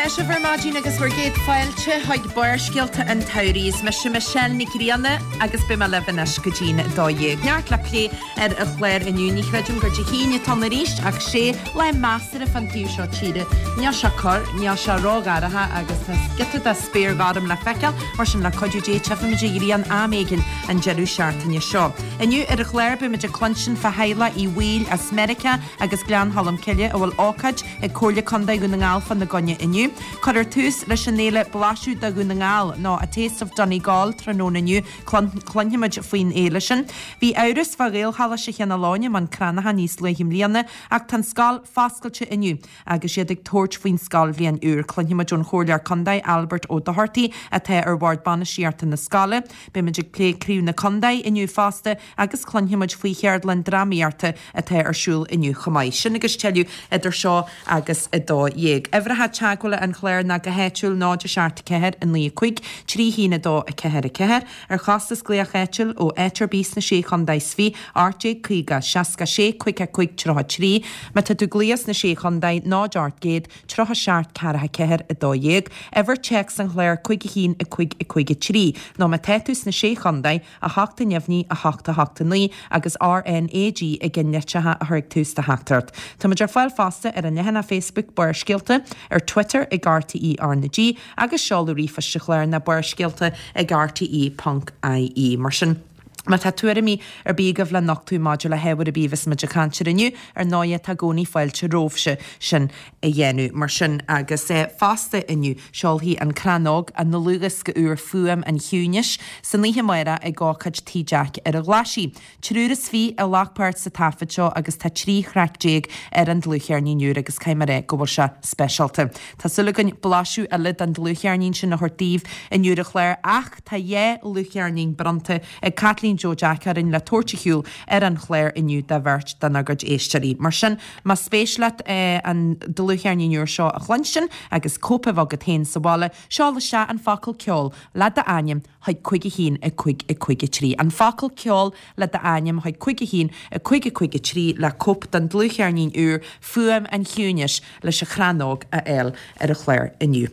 tá sibh ar maidin agus bhur gcéad fáilte chuig Barrscéalta an tSamhraidh. Is mise Michelle Nic Grianna agus beidh mé libh anois go dtí'n 12. Neart le plé ar an chlár inniu. Ní chreidim gur Dé hAoine atá ann arís ach sé lá measartha fán taobh seo tíre. Níl sé corr, níl sé ródhorcha agus tá giota de spéir ghorm le feiceáil, mar sin le cuidiú Dé tchífimid an ghrian am éigin an deireadh seachtaine seo. Inniu ar an chlár beimid ag cluinstin fá theaghlach Uí Bhaoill as Meiriceá agus Gleann Cholm Cille a bhfuil ócáid ag Comhairle Contae Dhún na nGall fána gcoinne inniu. Cuirfear tús leis an fhéile Blaiseadh de Dhún na nGall nó A Taste of Donegal tráthnóna inniu. Cluinfimid faoin fhéile sin. Bhí amhras fá Ghaelcholáiste Cheann Fhaoláin i mBun Cranncha níos luaithe i mbliana ach tá an scoil foscailte inniu agus iad ag tabhairt faoin scoilbhliain úr. Cluinfimid ón Chomhairleoir Contae Albert Ó Dochartaigh atá ar Bhord Bainistíochta na scoile. Beimid ag plé Craobh na Contae inniu fosta agus cluinfimid faoi cheardlann drámaíochta atá ar siúl inniu chomh maith. Sin agus tuilleadh idir seo agus 12. Uimhreacha teagmhála an chláir ná go háitiúil 0 7 4 9 5 3 1 2 4 4, ar chostas glaoch áitiúil ó áit ar bith sna Sé Chontae is Fiche, 1850 66 55 33. Má tá tú ag glaoch sna Sé Chontae, 0 800 37 44 12, uimhir téacs an chláir 5 1 5 5 3, nó má tá tú sna Sé Chontae, 8 neamhní, 8 8 9 agus RnaG i gceannlitreacha a chur ag tús do theachtaireacht. Táimid ar fáil fosta ar an leathanach Facebook Barrscéalta, ar Twitter ag RTÉ RnaG agus seoladh ríomhphoist an chláir ná barrscéalta ag rte ponc ie. Mar sin, má tá tuairimí ar bith agaibh le nochtadh maidir le hábhar ar bith a bheas muid ag caint air inniu, ar ndóighe tá i gcónaí fáilte romhaibhse sin a dhéanamh. Mar sin, agus fosta inniu, seolfaidh An Crann Óg a ndlúthdhiosca úr Fuaim an Chiúnais san oíche amárach ag ócáid Tigh Jeaic ar an Ghlaisigh. Triúr is fiche a ghlac páirt sa taifead seo agus tá 13 thraic ar an dlúthcheirnín úr agus caithfidh mé a rá go bhfuil sé speisialta. Tá súil againn blaiseadh eile den dlúthcheirnín sin a thabhairt daoibh inniu ar an chlár ach tá dhá dhlúthcheirnín bronnta ag Caitlín Joe Jeaic orainn le tabhairt ar shiúl ar an chlár inniu do bheirt denár gcuid éisteoirí. Mar sin, Más spéis leat an dlúthcheirnín úr seo a chluinstin agus cóip a bheith agat féin sa bhaile, seol isteach an focal ceol le d'ainm chuig 5 1 5 5 3. An focal ceol le d'ainm chuig 5 1 5 5 3 le cóip den dlúthcheirnín úr Fuaim an Chiúnais leis an Chrann Óg a fháil ar an chlár inniu.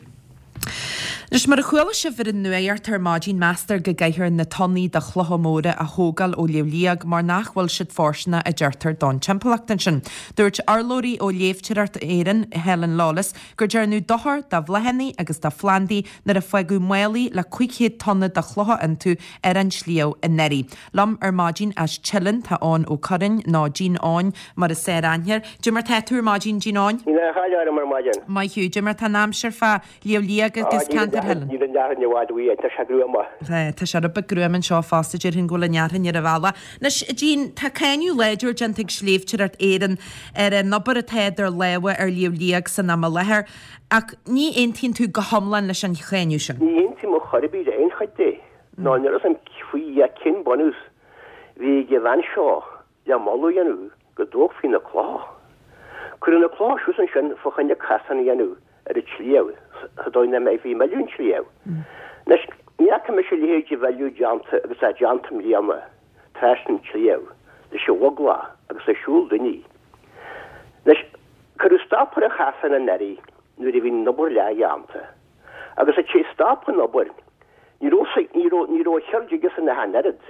Anois, mar a chuala sibh ar an nuacht ar maidin, meastar go gcaithfear na tonnaí de chlocha móra a thógáil ó Shliabh Liag mar nach bhfuil siad fóirsteanach a deirtear don timpeallacht ansin. Dúirt urlabhraí ó Shléibhteoireacht Éireann, Helen Lawless, gur déanadh dochar do bhláthanna agus do phlandaí nuair a fágadh málaí le 500 tonna de chlocha iontu ar an sliabh anuraidh. Liom ar maidin as Teileann tá Eoin Ó Curráin, nó Gene Eoin mar is fearr aithne air. Dé mar tá tú ar maidin, Gene Eoin? Níl aon chaill orm ar maidin. Maith thú. Dé mar tá an aimsir fá Shliabh Liag agus ceantar Theileann? Níl an fhearthainn i bhfad uainn, tá sé gruama. Tá sé rud beag gruama anseo fosta, déarfainn go bhfuil an fhearthainn ar an bhealach. Anois, a Gene, tá cáineadh láidir déanta ag Sléibhteoireacht Éireann ar an obair atá idir lámha ar Shliabh Liag san am i láthair, ach ní aontaíonn tú go hiomlán leis an cháineadh sin. Ní aontaím ar chor ar bith le aon chuid de, ná níl a fhios agam faoi cén bunús a bhí ag an bhean seo le moladh a dhéanamh go dtógfaí na clocha. Cuireadh na clocha suas ansin fá choinne casán a dhéanamh ar an tsliabh sa dóigh nach mbeifí ag milleadh an tsliabh. Anois, ní fhaca mise a leithéid de mhilleadh déanta agus atá déanta i mbliana trasna an tsliabh leis an bhogláith agus le siúl daoine. Anois, cuireadh stop ar an chasán anuraidh nuair a bhí an obair leathdhéanta. Agus tar éis stop an obair, ní raibh, ní raibh, ní raibh a cheird aigesan ach an oiread.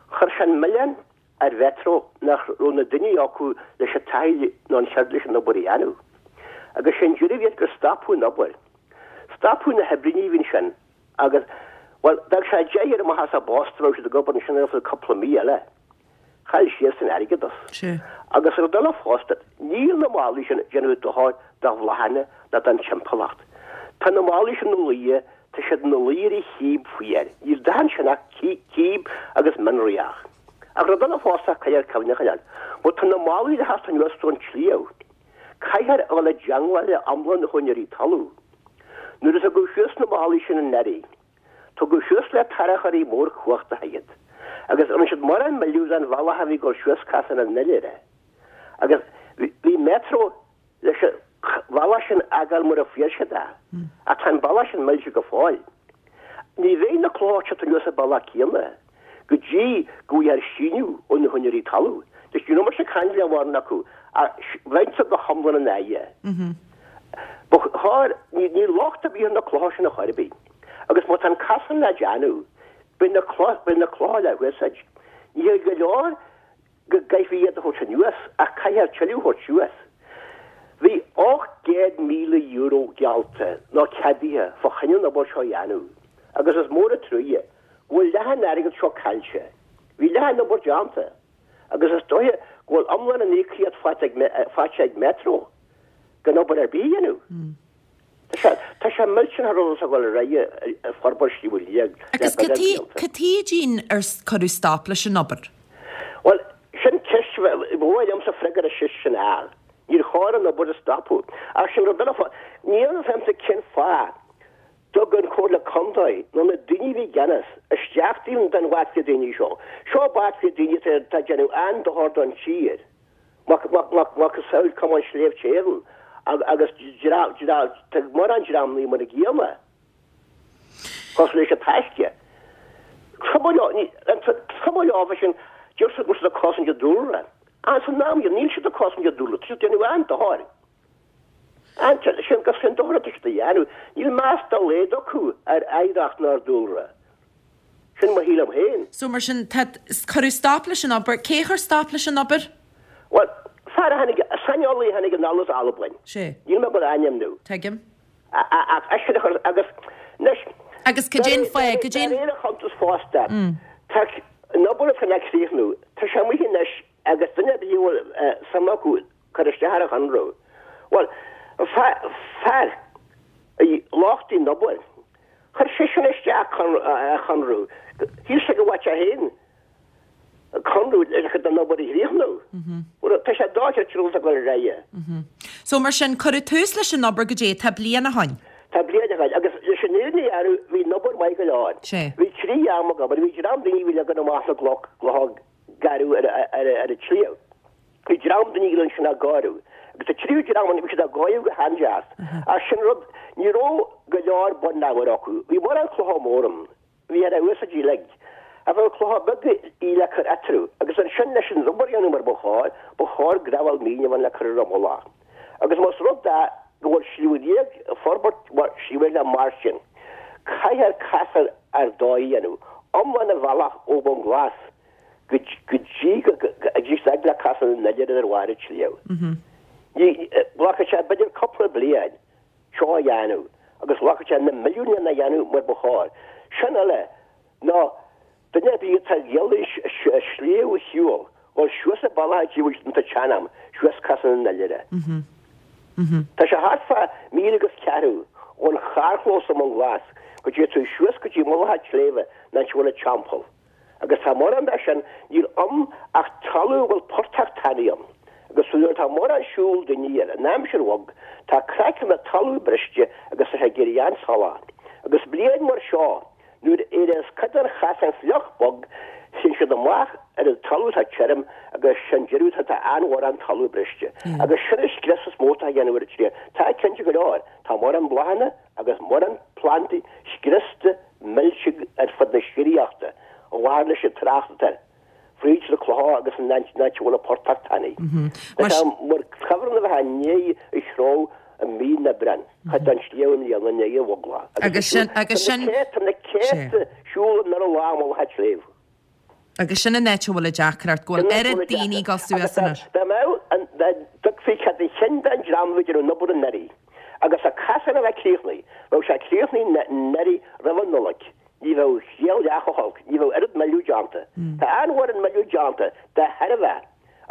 Chuir sé an milleán ar Mhetro nach raibh na daoine acu leis an taithí nó an cheird leis an obair a dhéanamh. Agus sé an deireadh a bhí air gur stopadh an obair. Stopadh na hoibríní a bhí ansin agus, bhuel, bheadh sé deich ar amach as a bpost dá mbeadh siad ag obair ansin ar feadh cúpla mí eile. Chaill siadsan airgead as. Agus rud eile fosta, níl na málaí sin ag déanamh dochair do bhláthanna ná don timpeallacht. Tá na málaí sin ina luí Tá siad ina luí ar an chíb faoi air. Níl dath ansin ach cíb agus mianraíoch. Ach rud eile fosta a caithfear cuimhne a choinneáil, má tá na málaí le theacht anuas ón tsliabh, caithfear a dhul i dteangmháil le iomlán na húinéirí talún. Nuair a tugadh suas na málaí sin anuraidh, tugadh suas le tarracóirí mór cumhachtacha iad, agus rinne siad mórán milleadh don bhealach a bhí ag dul suas Casán an Oilithre. Agus bhí Metro leis an bhealach sin a fhágáil mar a fuair siad é. Ach tá an bealach sin millte go fóill. Ní bheidh na clocha ag teacht anuas an bealach céanna go dtí go bhfaighfear síniú ó na húinéirí talún. Anois ní raibh mise ag caint le mórán acu ach bheinnse go hiomlán ina aghaidh. Ba chóir, níl locht ar bith ar na clocha sin ar chor ar bith. Agus má tá an casán le déanamh, beidh na clocha, beidh na clocha le húsáid. Ní hé go leor go gcaithfí iad a thabhairt anuas ach caithfear tuilleadh a thabhairt suas. Bhí €800,000 geallta nó ceadaithe fá choinne an obair seo a dhéanamh agus is mór an truaighe go bhfuil leath an airgid seo caillte. Bhí leath an obair déanta agus is dóiche go bhfuil iomlán an íocaíocht faighte ag Metro gan obair ar bith a dhéanamh. Tá sé millteanach an rud atá ag dul ar aghaidh ag forbairt Shliabh Liag le Agus beagán cad blianta. cad chuige Gene ar cuireadh stop leis an obair? Bhuel, sin ceist, ba mhaith liomsa freagra ar an cheist sin a fháil. Níor chóir an obair a stopadh. Ach sin rud eile, níl a fhios a'msa cén fáth dtug an Chomhairle Contae nó na daoine a bhí i gceannas isteach don bhaicfia daoine seo. Seo baicfia daoine atá ag déanamh an-dochar don tír. Macasamhail Cumann Sléibhte Éireann agus tá mórán dreamanna mar a gcéanna, cosúil leis an Taisce. Cuma leo sin, deir siad go bhfuil siad ag cosaint an dúlra. Ach san am, níl siad ag cosaint an dúlra, tá siad ag déanamh an-dochair. Sin agus sin dochar atá siad a dhéanamh. Níl meas dá laghad acu ar oidhreacht ná ar dúlra. Sin mo shílim féin. So mar sin, tá, cuireadh stop leis an obair. Cé chuir stop leis an obair? Bhuel, fear a tháinig, saineolaí a tháinig anall as Albain. Sé. Níl mé ag dul a ainmniú. Tuigim. Ach eisean a chuir, agus anois. Agus cad é an fáth, cad é an. De réir a chuntas fosta, tá an obair atá le críochnú, tá sé amuigh anois agus duine ar bith a bhfuil suim acu cur isteach ar an chonradh. Bhuel, fear a lochtaigh an obair, chuir seisean isteach conradh, shíl sé go bhfaigheadh sé féin conradh leis an obair a chríochnú. Bhuel, tá sé dochreidte an rud atá ag dul ar aghaidh. So mar sin, cuireadh tús leis an obair goidé tá bliain ó shoin. Tá bliain ó shoin, agus leis an fhírinne a dhearbhu, bhí an obair maith go leor. Bhí trí dream ag obair, bhí dream daoine a bhí ag leagan amach na gcloch, clocha garbh ar an tsliabh. Bhí dream daoine eile ansin á gcóiriú. Agus an tríú dream ann, bhí siad á gcóiriú go han-deas. Ach sin rud, ní raibh go leor bunábhair acu. Bhí mórán clocha mór ann. Bhí ar a úsáid uilig. Ach bheadh clocha beaga í le cur eatarthu. Agus ansin leis an obair a dhéanamh mar ba chóir, ba chóir gravel mín a bheith ann le cur ar an mullach. Agus más rud é go bhfuil Sliabh Liag ag forbairt mar Shliabh Liag mar sin, caithfear casán ar dóigh a dhéanamh, iomlán an bhealach ó Bhun Glas go dtí go dtí fhad le Casán an Oilithir ar bharr an tsléibhe. Ní, glacfaidh sé b'fhéidir cúpla bliain seo a dhéanamh agus glacfaidh sé na milliúin lena dhéanamh mar ba chóir. Sin eile ná Duine ar bith atá ag iarraidh an sliabh a shiúl, dhul suas an bealach a dtí an t-sean-am, suas Casán an Oilithre. Tá sé thart fá míle agus ceathrú ón charrchlós i mBun Glas go dtí tú suas go dtí mullach an tsléibhe an áit a bhfuil an teampall. Agus tá mórán de sin, níl ann ach talamh a bhfuil portach tanaí ann. Agus nuair atá mórán siúl daoine air in aimsir bhog, tá craiceann na talún briste agus tá sé ag éirí an-salach. Agus bliain mar seo, Nuair a éireos cuid den chasán fliuch bog, téann siad amach ar an talamh atá tirim agus sin deireadh tá an-mhórán talamh briste. Agus sin an scrios is mó atá á dhéanamh ar an tsliabh. Tá cinnte go leor, tá mórán bláthanna agus mórán plandaí scriosta millte ar fud na síoraíochta, a mhair leis an trácht atá air. fríd na clocha agus an áit a bhfuil an portach tanaí. Tá sé mar chuibhreann a bheith i ndiaidh a threo i mí an Aibreáin, cuid den sliabh i mbliana i ndiaidh an bhoglach. Agus sin, agus sin, Tá na céadta siúl anonn an lá i mullach an tsléibhe. Agus sin an áit a bhfuil an deacracht, go bhfuil oiread daoine ag dul suas anois. Dá mbeadh an, dá dtugfaí cead a chinn don dream a bhí ag déanamh an obair anuraidh, agus an casán a bheith críochnaithe, bheadh sé críochnaithe anuraidh roimh an Nollaig. Ní bheadh scéal leath chomh holc, ní bheadh oiread milleadh déanta. Tá an-mhórán milleadh déanta de thairbhe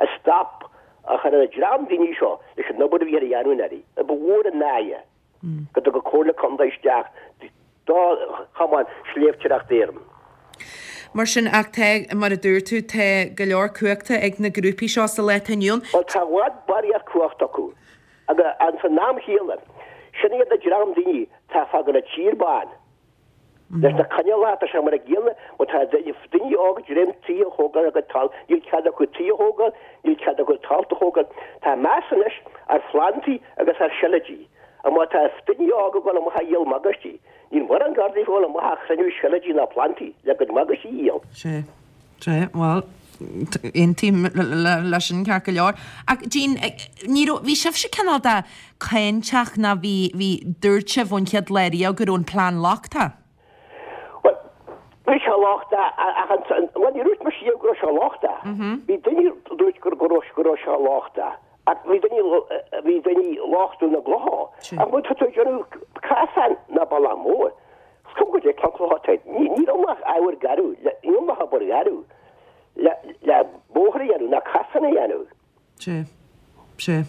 an stop a chur ar an dream daoine seo leis an obair a bhí ar a dhéanamh anuraidh. Ba mhór an náire go dtug an Comhairle Contae isteach do Chumann Sléibhteoireachta Éireann. Mar sin, ach tá, mar a dúirt tú, tá go leor cumhachta ag na grúpaí seo sa lá atá inniu ann. Bhuel, tá i bhfad barraíocht cumhachta acu. Agus san am chéanna, sin iad an dream daoine atá ag fágáil an tír bán. Leis na coinníollacha, tá sé mar a gcéanna, má tá daoine óga ag dréim tithe a thógáil ar a gcuid talamh, níl cead acu tithe a thógáil, níl cead acu talta a thógáil. Tá meas anois ar phlandaí agus ar seilidí. Ach má tá daoine óga ag dul amach a dhíol magaistí, níl mórán Gardaí ag dul amach a chruinniú seilidí ná plandaí le a gcuid magaistí a dhíol. Sea. Sea. Bhuel. Aontaím leis sin ceart go leor. Ach Jean, ní raibh, bhí sibhse cineál de cáinteach ná bhí, bhí, dúirt sibh ón chéad lá riamh go raibh an plean lochtach. Bhuel, bhí sé lochtach ach an, bhuel ní dúirt mise riamh go raibh sé lochtach. Bhí daoine a dúirt go raibh, go raibh sé lochtach ach bhí daoine, bhí daoine ag lochtú na gclocha. Ach má tá tú ag déanamh casán ná bealach mór, is cuma goidé cén cloch atá air, ní, níl ann ach ábhar garbh, níl ann ach obair gharbh le, le bóthar a dhéanamh ná casán a dhéanamh. Sea. Sea.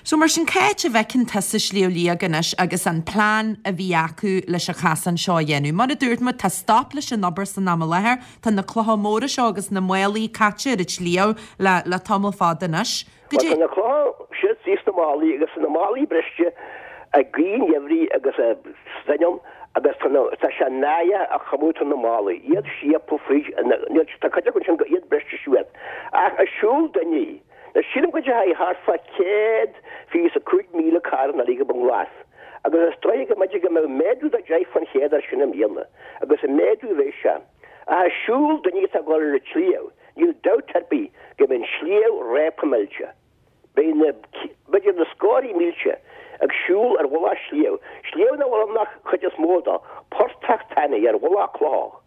So mar sin, cá háit a bhfeiceann tusa Sliabh Liag anois agus an plean a bhí acu leis an chasán seo a dhéanamh? Mar a dúirt muid, tá stop leis an obair san am i láthair, tá na clocha móra seo agus na málaí caite ar an tsliabh le, le tamall fada anois. Bhuel, tá na clocha siar thíos sna málaí agus tá na málaí briste ag gaoth an gheimhridh agus stoirm agus tá na, tá sé náireach an chuma atá ar na málaí, iad síobtha fríd, níl, tá cuid acu ansin iad briste suas. Ach ag siúl duine, now sílim go dteachaidh thart fá 125,000 carr anuraidh go Bun Glas agus is dóigh go mb'fhéidir go mbeadh méadú de 10% air sin i mbliana agus ag méadú a bheidh sé. Ach ag siúl duine atá ag dul ar an tsliabh, níl dabht ar bith go mbeidh an sliabh réabtha millte. Beidh na, b'fhéidir na scórthaí mílte ag siúl ar mhullach sliabh, sliabh nach bhfuil ann ach chuid is mó dó, portach tanaí ar mhullach cloch.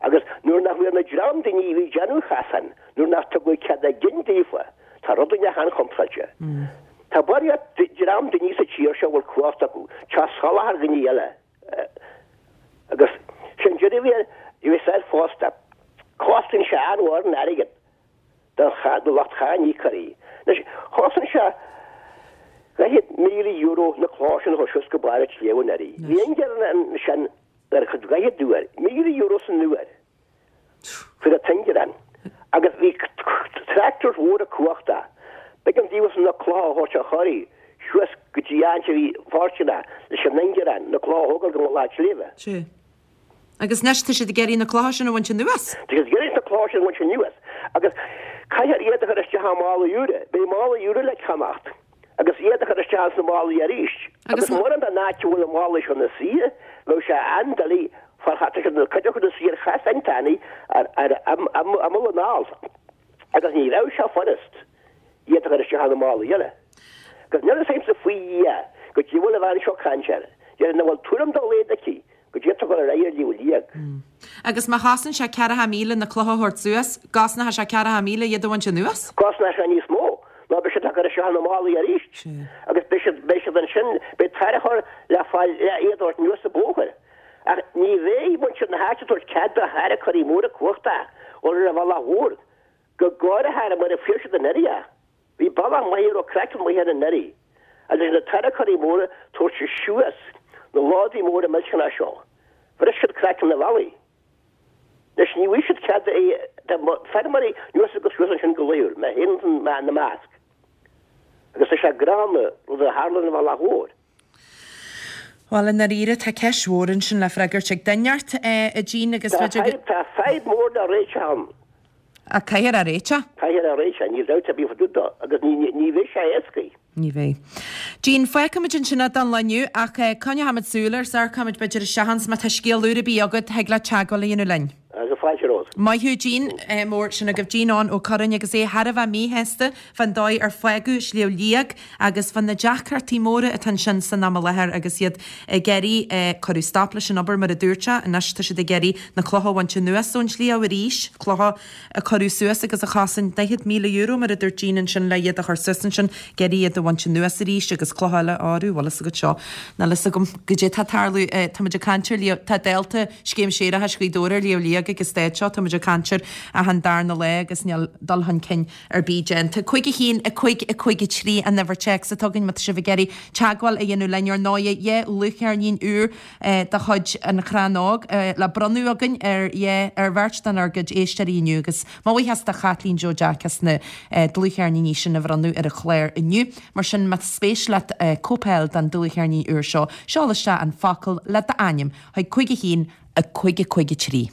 Agus nuair nach bhfuair na dream daoine a bhí ag déanamh an chasáin, nuair nach tugadh cead a gcinn daofa, tá rud inteacht an-chontráilte. Tá barraíocht dream daoine sa tír seo a bhfuil cumhacht acu, teacht salach ar dhaoine eile. Agus sin deireadh a bhí air, bhí said fosta. Cosnaíonn sé an-mhór in airgead. do lucht cháiníocóirí. Anois, chosain sé €40,000 na clocha sin a chur suas go barr an tsléibhe anuraidh. Bhí ingearán ansin ar chuid dhaichead uair, €1,000 san uair, faoi na t-ingearán. Agus bhí tractors mhóra cumhachtacha. B'éigean daofa na clocha a thabhairt a chur suas go dtí áit a bhí fóirsteanach leis an ingearán, na clocha a thógáil go mullach an tsléibhe. Sea. Agus anois tá siad ag iarraidh na clocha sin a bhaint anuas. Tá siad ag iarraidh na clocha sin a bhaint anuas agus caithfear iad a chur isteach i málaí úra. Beidh málaí úra le ceannacht agus iad a chur isteach sna málaí arís. Agus mórán den áit a bhfuil na málaí seo ina suí, bheadh sé an-doiligh far tá siad cuid acu ina suí ar chasáin tanaí ar imeall an ailt agus ní bheadh sé furast iad a chur isteach ina málaí eile. Agus níl a fhios agamsa faoi Dhia goidé a bhfuil an bhean seo ag caint air. Déarfainn nach bhfuil tuairim dá laghad aici Goidé atá ag dul ar aghaidh ar Shliabh Liag. Agus má chosain sé 40,000 na clocha a thabhairt suas, gcosnóidh sé 40,000 iad a bhaint anuas? Cosnóidh sé níos mó ná beidh siad á gcur isteach ina málaí arís. Agus beidh siad, beidh siad ansin, beidh tarracóir le fáil le iad a thabhairt anuas an bóthar. Ach ní bheidh muintir na háite ag tabhairt cead do tharracóirí móra cumhachtacha dhul ar an bhealach mhór, go háirithe mar a fuair siad anuraidh é. Bhí bealach maith a raibh craiceann maith air anuraidh, agus na tarracóirí móra tabhairt suas na lódaí móra millteanacha seo, bhris siad craiceann an bhealaigh. Anois ní bhfaighidh siad cead do feirmeoirí anuas agus suas ansin go laethúil, mé féin ina measc. Agus tá sé gránna, rud a tharla ar an bhealach mhór. Bhuel, i ndáiríre, tá ceist mhór ansin le freagairt ag duine inteacht, a Jean, agus b'fhéidir go. Tá fadhb mhór le réiteach ann. Ach caithfear é a réiteach. Caithfear é a réiteach, níl dabht ar bith fá dtaobh dó, agus ní bheidh sé éasca. Ní bheidh. Jean, fágfaimid ansin é don lá inniu, ach coinneochaimid súil air, 's amharcfaimid b'fhéidir isteach ann, 's má tá scéal úr ar bith agat, thig leat teagmháil a dhéanamh linn. Agus fáilte romhat. Maith thú Jean mór, sin agaibh Jean Eoin Ó Curráin agus é thar a bheith míshásta fán dóigh ar fágadh Sliabh Liag agus fá na deacrachtaí móra atá ansin san am i láthair agus iad ag iarraidh, cuireadh stop leis an obair mar a dúirt sé, anois tá siad ag iarraidh na clocha a bhaint anuas ón sliabh arís, clocha a cuireadh suas agus a chosain €40,000 mar a dúirt Jean ansin le iad a chur suas ansin, ag iarraidh iad a bhaint anuas arís agus clocha eile a áireamh, bhfuil fhios agat seo, níl fhios agam goidé atá ag tarlú, táimid ag caint ar Shliabh, tá dálta Scéim Séarachais Ghaoth Dobhair ar Shliabh Liag ag an staid seo, táimid ag caint air achan darna lá agus níl dul chun cinn ar bith déanta. 5 1 5 5 3 an uimhir téacs atá againn má tá sibh ag iarraidh teagmháil a dhéanamh linn ar ndóighe dhá dhlúthcheirnín úr de chuid An Chrann Óg le bronnadh againn ar ar bheirt dár gcuid éisteoirí inniu agus mo bhuíochas do Chaitlín Joe Jack as na dlúthcheirníní sin a bhronnadh ar an chlár inniu. Mar sin más spéis leat cóip a fháil den dlúthcheirnín úr seo, seol isteach an focal le d'ainm chuig 5 1 5 5 3.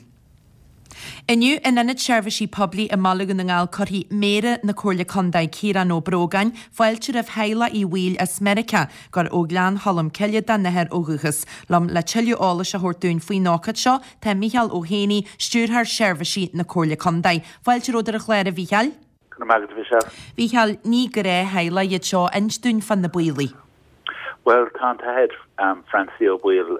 Inniu in Ionad Seirbhísí Poiblí i mBaile Dhún na nGall cuirfidh Méara na Comhairle Contae, Ciarán Ó Brógáin, fáilte roimh theaghlach Uí Bhaoill as Meiriceá, gur ó Ghleann Cholm Cille dá n-athair ó dhúchas. Liom le tuilleadh eolais a thabhairt dúinn faoin ócáid seo tá Micheál Ó hÉanaí, Stiúrthóir Seirbhísí na Comhairle Contae. Fáilte romhat ar an chlár a Mhícheáil. Go raibh maith agat, a Mhichelle. Mhícheáil, ní gnáth-theaghlach iad seo, inis dúinn fá na Baoilligh. Bhuel, tá an tAthair Francie Ó Baoill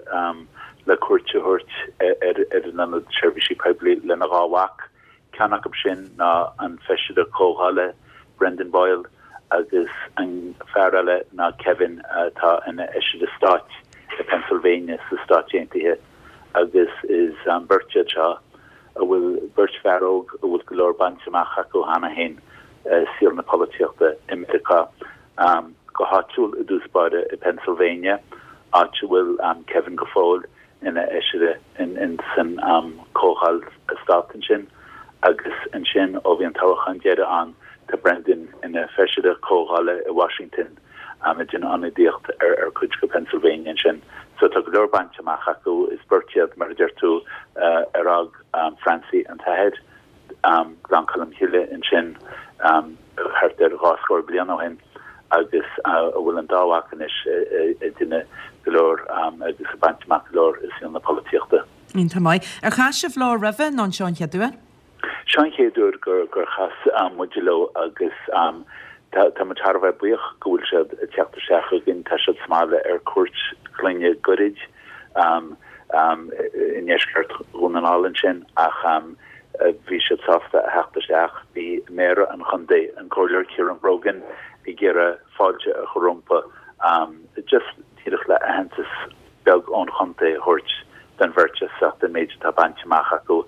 le cuairt a thabhairt ar an Ionad Seirbhísí Poiblí lena dhá mhac. Ceann acu sin ná an Feisire Comhdhála Brendan Boyle agus an fear eile ná Kevin atá ina Fheisire Stáit i Pennsylvania sna Stáit Aontaithe agus is beirt iad seo a bhfuil beirt fear óg a bhfuil go leor bainte amach acu cheana féin i saol na polaitíochta i Meiriceá. Go háitiúil i dtús báire i Pennsylvania, áit a bhfuil Kevin go fóill ina fheisire in san Comhdháil Stát ansin, agus ansin ó bhí an toghchán deiridh ann tá Brendan ina Feisire Comhdhála i Washington ag déanamh ionadaíocht ar cuid de Pennsylvania ansin. So tá go leor bainte amach acu. Is beirt iad, mar a deir tú, ar fhág Francie an t-athair, Gleann Cholm Cille ansin thart ar dhá scór bliain ó shin agus a bhfuil an dá mhac anois ag déanamh go leor agus ag baint amach go leor i saol na polaitíochta. Iontach maith. Ar chas sibh leo roimhe nó an seo an chéad uair? Seo an chéad uair gur chas muid leo agus tá muid thar a bheith buíoch go bhfuil siad ag teacht isteach chugainn. Tá siad sa mbaile ar cuairt clainne goirid i ndeisceart Dhún na nGall ansin ach bhí siad sásta a theacht isteach. Bhí Méara an chontae, an Comhairleoir Ciarán Brogan, ag iarraidh fáilte a chur rompu just díreach le aitheantas beag ón chontae a thabhairt don bheirt as ucht an méid atá bainte amach acu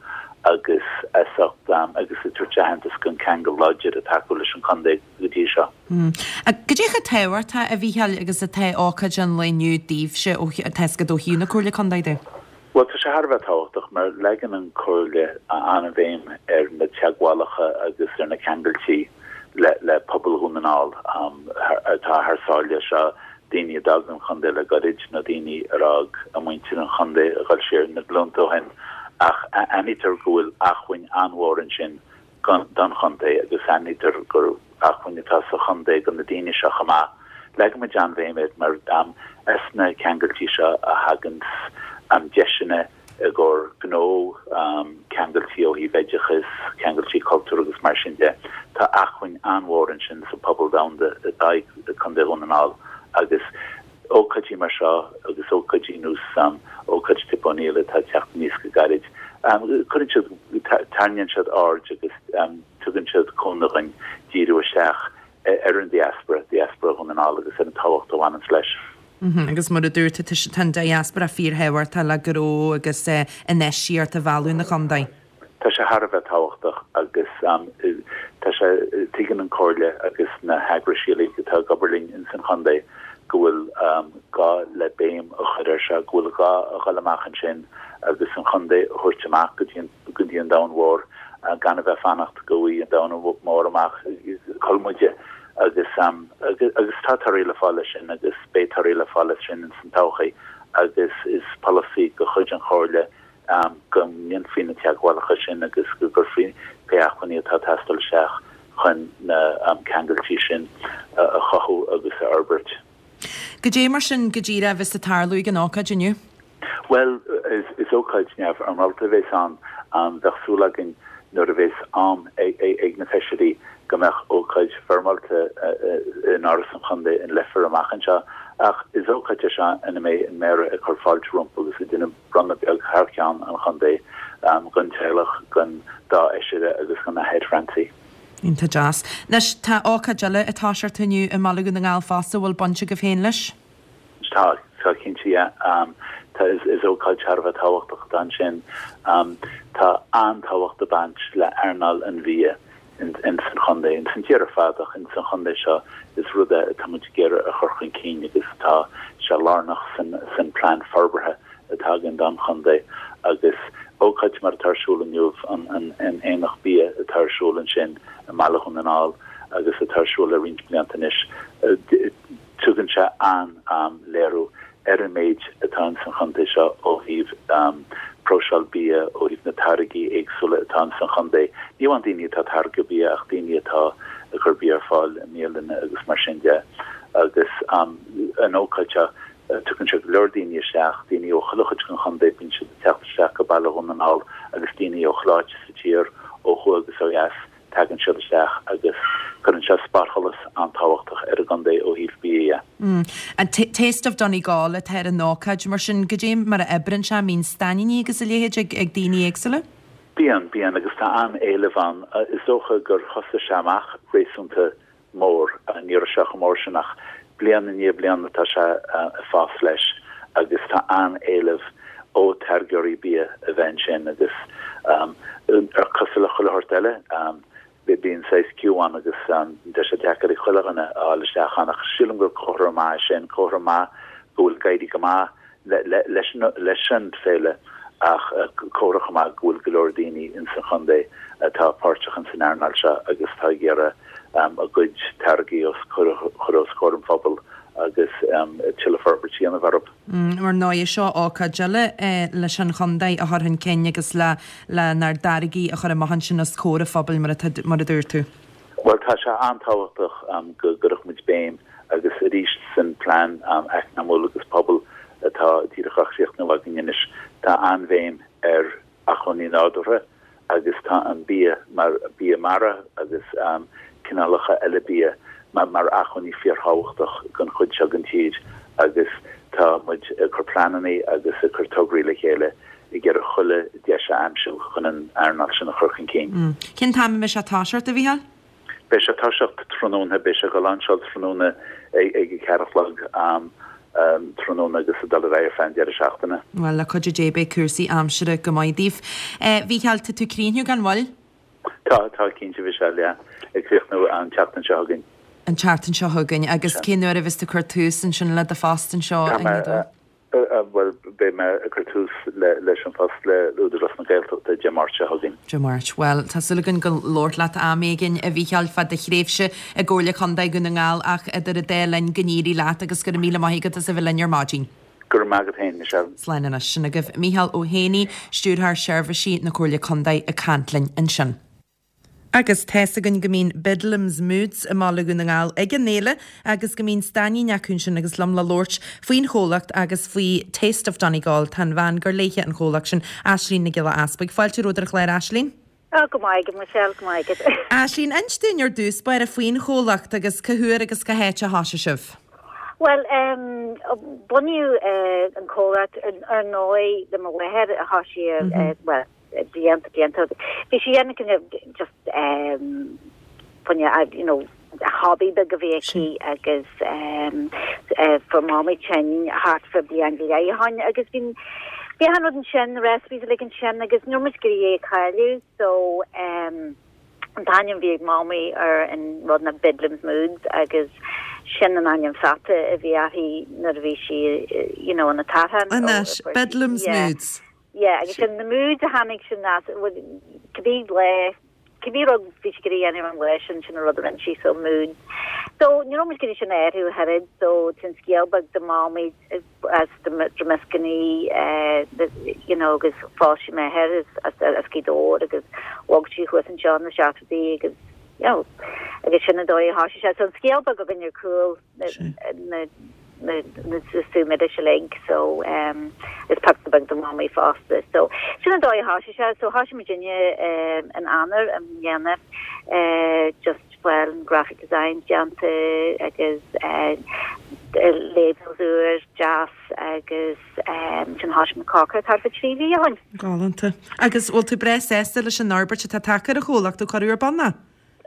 agus as ucht agus ag tabhairt aitheantas don ceangal láidir atá acu leis an chontae go dtí seo. Cad é chomh tábhachtach, a Mhícheáil, agus atá ócáid an lae inniu daoibhse, ó tá 'fhios agat ó thaobh na Comhairle Contae de? Bhuel, tá sé thar a bheith tábhachtach mar leagann an Chomhairle an-bhéim ar na teagmhálacha agus ar na ceangailtí le pobal Dhún na nGall atá thar sáile. Seo daoine a d'fhág an chontae le goirid nó daoine ar fhág a muintir an chontae a dhul siar na glúnta ó shin ach aithnítear go bhfuil acmhainn an-mhór ansin don chontae agus aithnítear gur acmhainn atá sa chontae do na daoine seo chomh maith. Leagaimid an-bhéim air mar as na ceangailtí seo a thaganns deiseanna i gcomhair gnó, ceangailtí ó thaobh oideachais, ceangailtí cultúir agus mar sin de. Tá acmhainn an-mhór ansin sa phobal domhanda atá i gContae Dhún na nGall agus ócáidí mar seo agus ócáidí nós ócáid Tip O'Neill atá ag teacht aníos go gairid, cuireann siad, tarraingíonn siad aird agus tugann siad cúnamh dhúinn díriú isteach ar an diaspora, diaspora Dhún na nGall agus ar an tábhacht a bhaineanns leis. Agus mar a dúirt tú, tá an diaspora fíorthábhachtach le gnó agus infheistíocht a mhealladh 'na chontae. Tá sé thar a bheith tábhachtach agus tá sé, tuigeann an Chomhairle agus na heagrais uilig atá ag obair linn ins an chontae go bhfuil gá le béim a chur air seo, go bhfuil gá a dhul amach ansin agus an chontae a thabhairt amach go dtí an, go dtí an domhan mhór gan a bheith fanacht go bhfaighidh an domhan mór amach cá bhfuil muide agus agus tá torthaí le fáil leis sin agus beidh torthaí le fáil leis sin ins an todhchaí agus is polasaí de chuid an Chomhairle go ndéanfaí na teagmhálacha sin agus go gcuirfí pé acmhainní atá ag teastáil isteach chun na ceangailtí sin a chothú agus a fhorbairt. Goidé mar sin go díreach a bheas ag tarlú ag an ócáid inniu? Bhuel, is ócáid neamhfhoirmeálta a bheas ann. Bheadh súil againn nuair a bheas am ag na feisirí go mbeadh ócáid foirmeálta in Áras an Chontae in Leifear amach anseo. Ach is ócáid é seo ina mbeidh an Méara ag cur fáilte rompu agus ag déanamh bronnadh beag thar ceann an chontae don teaghlach, don dá fheisire agus don Athair Francie. Iontach deas. Anois, tá ócáid eile ag toiseacht inniu i mBaile Dhún na nGall fosta, a bhfuil baint agaibh féin leis? Tá, tá cinnte, yeah. Tá, is, is ócáid thar a bheith tábhachtach atá ansin. Tá an-tábhacht ag baint le earnáil an bhia in san chontae, in san tír ar fad ach in san chontae seo is rud é atá muid ag iarraidh a chur chun cinn agus tá sé lárnach san san plean forbartha atá againn don chontae agus ócáid mar atá ar siúl inniu, an an an Aonach Bia atá ar siúl ansin i mBaile Dhún na nGall agus atá ar siúl le roinnt blianta anois, tugann sé an-léiriú ar an méid atá in san chontae seo ó thaobh. próiseáil bia, ó thaobh na táirgí éagsúla atá ins an chontae. Ní amháin daoine atá ag táirgeadh bia ach daoine atá ag cur bia ar fáil i mbialanna agus mar sin de. Agus an ócáid seo, tugann sé go leor daoine isteach, daoine ó chuile chuid den chontae, bíonn siad ag teacht isteach go Baile Dhún na nGall agus daoine ó chuile áit sa tír, ó thuaidh agus ó dheas. Tagann siad isteach agus cuireann sé spotsholas an-tábhachtach ar an gcontae ó thaobh bia dhe. An Taste of Donegal atá ar an ócáid, mar sin, goidé mar a oibreann sé, an mbíonn stainníní agus a leithéid ag daoine éagsúla? Bíonn, bíonn, agus tá an-éileamh ann. Is dócha gur thosaigh sé amach réasúnta mór. Ní raibh sé chomh mór sin ach bliain i ndiaidh bliana tá sé ag fás leis agus tá an-éileamh ó táirgeoirí bia a bheith ansin agus ar cosúil le chuile shórt eile bíonn saghas queue ann agus tá sé deacair ag chuile dhuine a fháil isteach ann ach sílim gur comhartha maith é sin, comhartha maith go bhfuil ag éirí go maith leis an féile ach comhartha chomh maith go bhfuil go leor daoine ins an chontae atá páirteach ins an earnáil seo agus atá ag iarraidh a gcuid táirgí a chur os comhair an phobail agus tuilleadh forbairt a dhéanamh orthu. Mar ndóigh, seo ócáid eile leis an chontae a chur chun cinn agus le lenár dtáirgí a chur amach ansin os comhair an phobail mar a dúirt tú. Bhuel, tá sé an-tábhachtach go gcuirfeadh muid béim agus arís san plean eacnamúil agus pobail atá díreach á chríochnú againn anois, tá an-bhéim ar acmhainní nádúrtha agus tá an bia mar bia mara agus cineálacha eile bia mar acmhainní fíorthábhachtach don chuid seo den tír agus tá muid ag cur pleananna agus ag cur tograí le chéile ag iarraidh chuile deis a aimsiú chun an earnáil sin a chur chun cinn. Cén t-am a mbeidh sé ag toiseacht, a Mhícheáil? Beidh sé ag toiseacht tráthnóna, beidh sé ag dul lainseáil tráthnóna ag a ceathair a chlog am tráthnóna agus ag dul ar aghaidh ar feadh an deireadh seachtaine. Bhuel, le cuidiú Dé beidh cúrsaí aimsire go maith daoibh. A Mhícheáil, tá tú ag críochnú gan mhoill? Tá, tá, cinnte, a Mhichelle, yeah. Ag críochnú an tseachtain seo chugainn. An tseachtain seo chugainn. Agus cén uair a bheas tú ag cur tús ansin le do phost anseo i nGaoth Dobhair? Bhuel, beidh mé ag cur tús leis an phost le Údarás na Gaeltachta Dé Máirt seo chugainn. Dé Máirt. Bhuel, tá súil againn go labhairt leat am éigin, a Mhícheáil, fá do thréimhse i gComhairle Contae Dhún na nGall ach idir an dá linn go n-éirí leat agus go raibh míle maith agat as a bheith linn ar maidin. Go raibh maith agat féin, Michelle. Slán anois. Sin agaibh Mícheál Ó hÉanaí, Stiúrthóir Seirbhísí na Comhairle Contae ag caint linn ansin. Agus tá's againn go mbíonn Bedlam's Moods i mBaile Dhún na nGall ag an fhéile agus go mbíonn stainnín acu ansin agus liom le labhairt faoin chomhlacht agus faoi Taste of Donegal tá an bhean gur léithe an chomhlacht sin, Aislínn Nic Giolla Easbuig. Fáilte romhat ar an chlár, Aislínn. Ó, go maith agat, Michelle, go maith agat. Aislínn, inis dúinn ar dtús báire faoin chomhlacht agus cá huair agus cá háit a thoisigh sibh? Bhuel, bunaíodh an comhlacht ar ndóigh le mo mháthair a thoisigh, bhuel, blianta, blianta. Bhí sí ag déanamh just fá choinne, you know, hobby beag a bhí aici agus fuair Mamaí tinn thart fá bliain go leith ó shin agus bhí bhí achan rud ansin, na recipes uilig ansin agus ní raibh muid ag iarraidh é a chailleadh so an t-ainm a bhí ag Mamaí ar an rud ná Bedlam's Moods agus sin an ainm pheata a bhí uirthi nuair a bhí sí you know ina tathán. Anois, Bedlam's Moods. Yeah, agus sin na moods a tháinig sin as, cibé lá, cibé rud bhí sí ag iarraidh a dhéanamh an lá sin, sin an rud a rinne sí, so moods. So ní raibh muid ag iarraidh sin a athrú ach oiread, so tá an scéal beag de Mamaí as Dromiskinny, you know, agus phós sí m'athair as as Gaoth Dobhair agus bhog sí thuas anseo na seachtóidí agus, you know, agus sin an dóigh a thoisigh sé. So an scéal beag againn ar cúl. na na sú milis uilig so is píosa beag de Mhamaí fosta. So sin an dóigh a thoisigh sé. So thoisigh muidinne in Eanáir i mbliana just bhuel an graphic design déanta agus labels úr deas agus sin thoisigh muid cócaireacht thart fá 3 mhí ó shin. Galánta. Agus bhfuil tú breá sásta leis an fhorbairt atá tagtha ar an chomhlacht ó cuireadh ar bun é?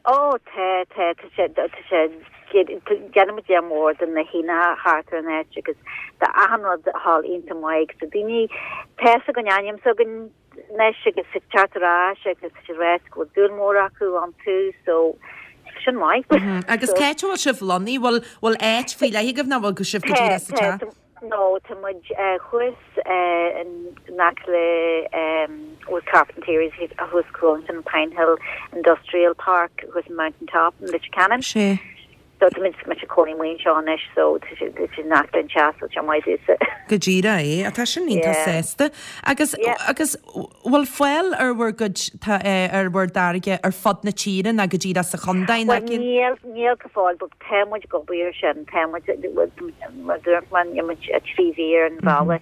Ó, tá, tá, tá sé, tá sé, déanann muid léar mór de na haonacha thart ar an áit agus tá achan rud ag gabháil iontach maith agus tá daoine, tá fhios ag an ainm s'againn anois agus ag teacht ar ais agus tá siad ag ráit go bhfuil dúil mór acu iontu so sin maith. Agus cá háit a bhfuil sibh lonnaithe? Bhfuil, bhfuil áit faoi leith agaibh nó bhfuil sibh go díreach sa teach? Tá, No, tá muid thuas in aice le with Carpentieri's thuas cúl ansin Pine Hill Industrial Park thuas in Mountain Top in Leitir Ceanainn. Sea. So tá muid ag cónaí amuigh anseo anois so tá sé tá sé in aice linn teach so tá sé maith domhsa. Go díreach é. Tá sin iontach Yeah. sásta. Agus Yeah. agus bhfuil fáil ar bhur gcuid tá ar bhur dtáirge ar fud na tíre ná go díreach sa chontae ná Well níl níl go fóill but tá muid ag obair ar sin tá muid mar dúirt mé níl muid 3 mhí ar an bhealach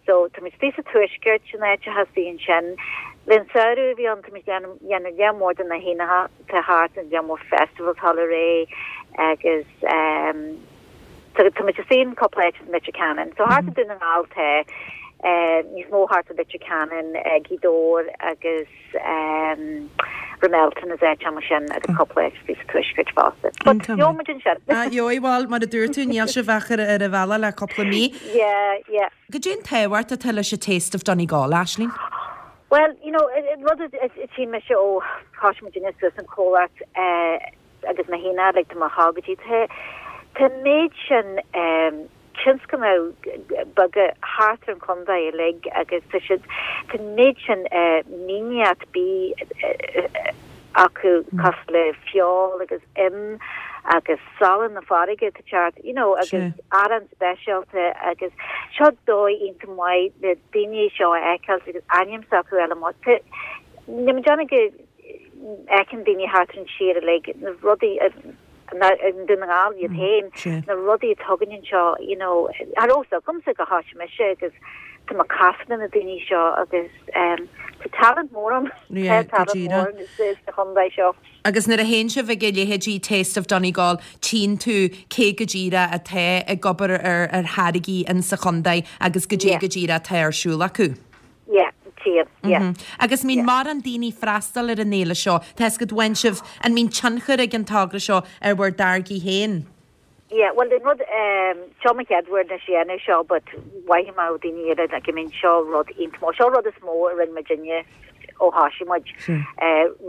so tá muid istigh sa tuaisceart sin áit a thosaigh ansin le an samhradh a bhí ann tá muid ag déanamh lear mór de na haonacha tá thart an lear mór festivals thall ar aghaidh agus tá muid istigh in cúpla áit in Leitir Ceanainn. So thart i Dún na nGall tá níos mó thart i Leitir Ceanainn, Gaoth Dobhair agus Ramelton is áit mar sin agus cúpla áit istigh sa tuaisceart fosta. But gheobhaidh muid ansin. Ah, gheobhaidh, bhuel, mar a dúirt tú, níl sibh ach ar an bhealach le cúpla mí. Yeah, yeah. Goidé an tábhacht atá leis an Taste of Donegal, Aisling? Bhuel, you know, rud a tchí mise ó thosaigh muidinne suas an comhlacht agus mé féin like tá mé ag go dtí tá tá an méid sin tionscnaimh beaga thart ar an chontae uilig agus tá siad tá an méid sin mianach bídh acu cosúil le feoil agus im agus salann na farraige tá teacht you know agus arán speisialta agus seo dóigh iontach maith le daoine seo a fheiceáil agus ainm s'acu eile amuigh. Tá níl mé ag déanamh go fheiceann daoine thart ar an tír uilig na rudaí i nDún na nGall iad féin na rudaí atá againn anseo you know cha raibh fhios agamsa go thosaigh mise agus tá mé ag casadh le na daoine seo agus tá talent mór ann tá talent mór sa chontae seo. Agus nuair a théann sibh ag a leithéidí Taste of Donegal, tchíonn tú cé go díreach atá ag obair ar ar tháirgí in sa chontae agus goidé go díreach atá ar siúl acu. Yeah, tchíonn, yeah. Agus mbíonn mórán daoine ag freastal ar an fhéile seo. Tá fhios agat, bhain sibh, an mbíonn tionchar ag an togra seo ar bhur dtáirgí féin? Yeah, bhuel an rud, seo mo chéad uair anois a dhéanamh seo but mhothaigh mé ó daoine eile like I mean seo rud iontach mór, seo rud is mó a rinne muidinne ó thosaigh muid.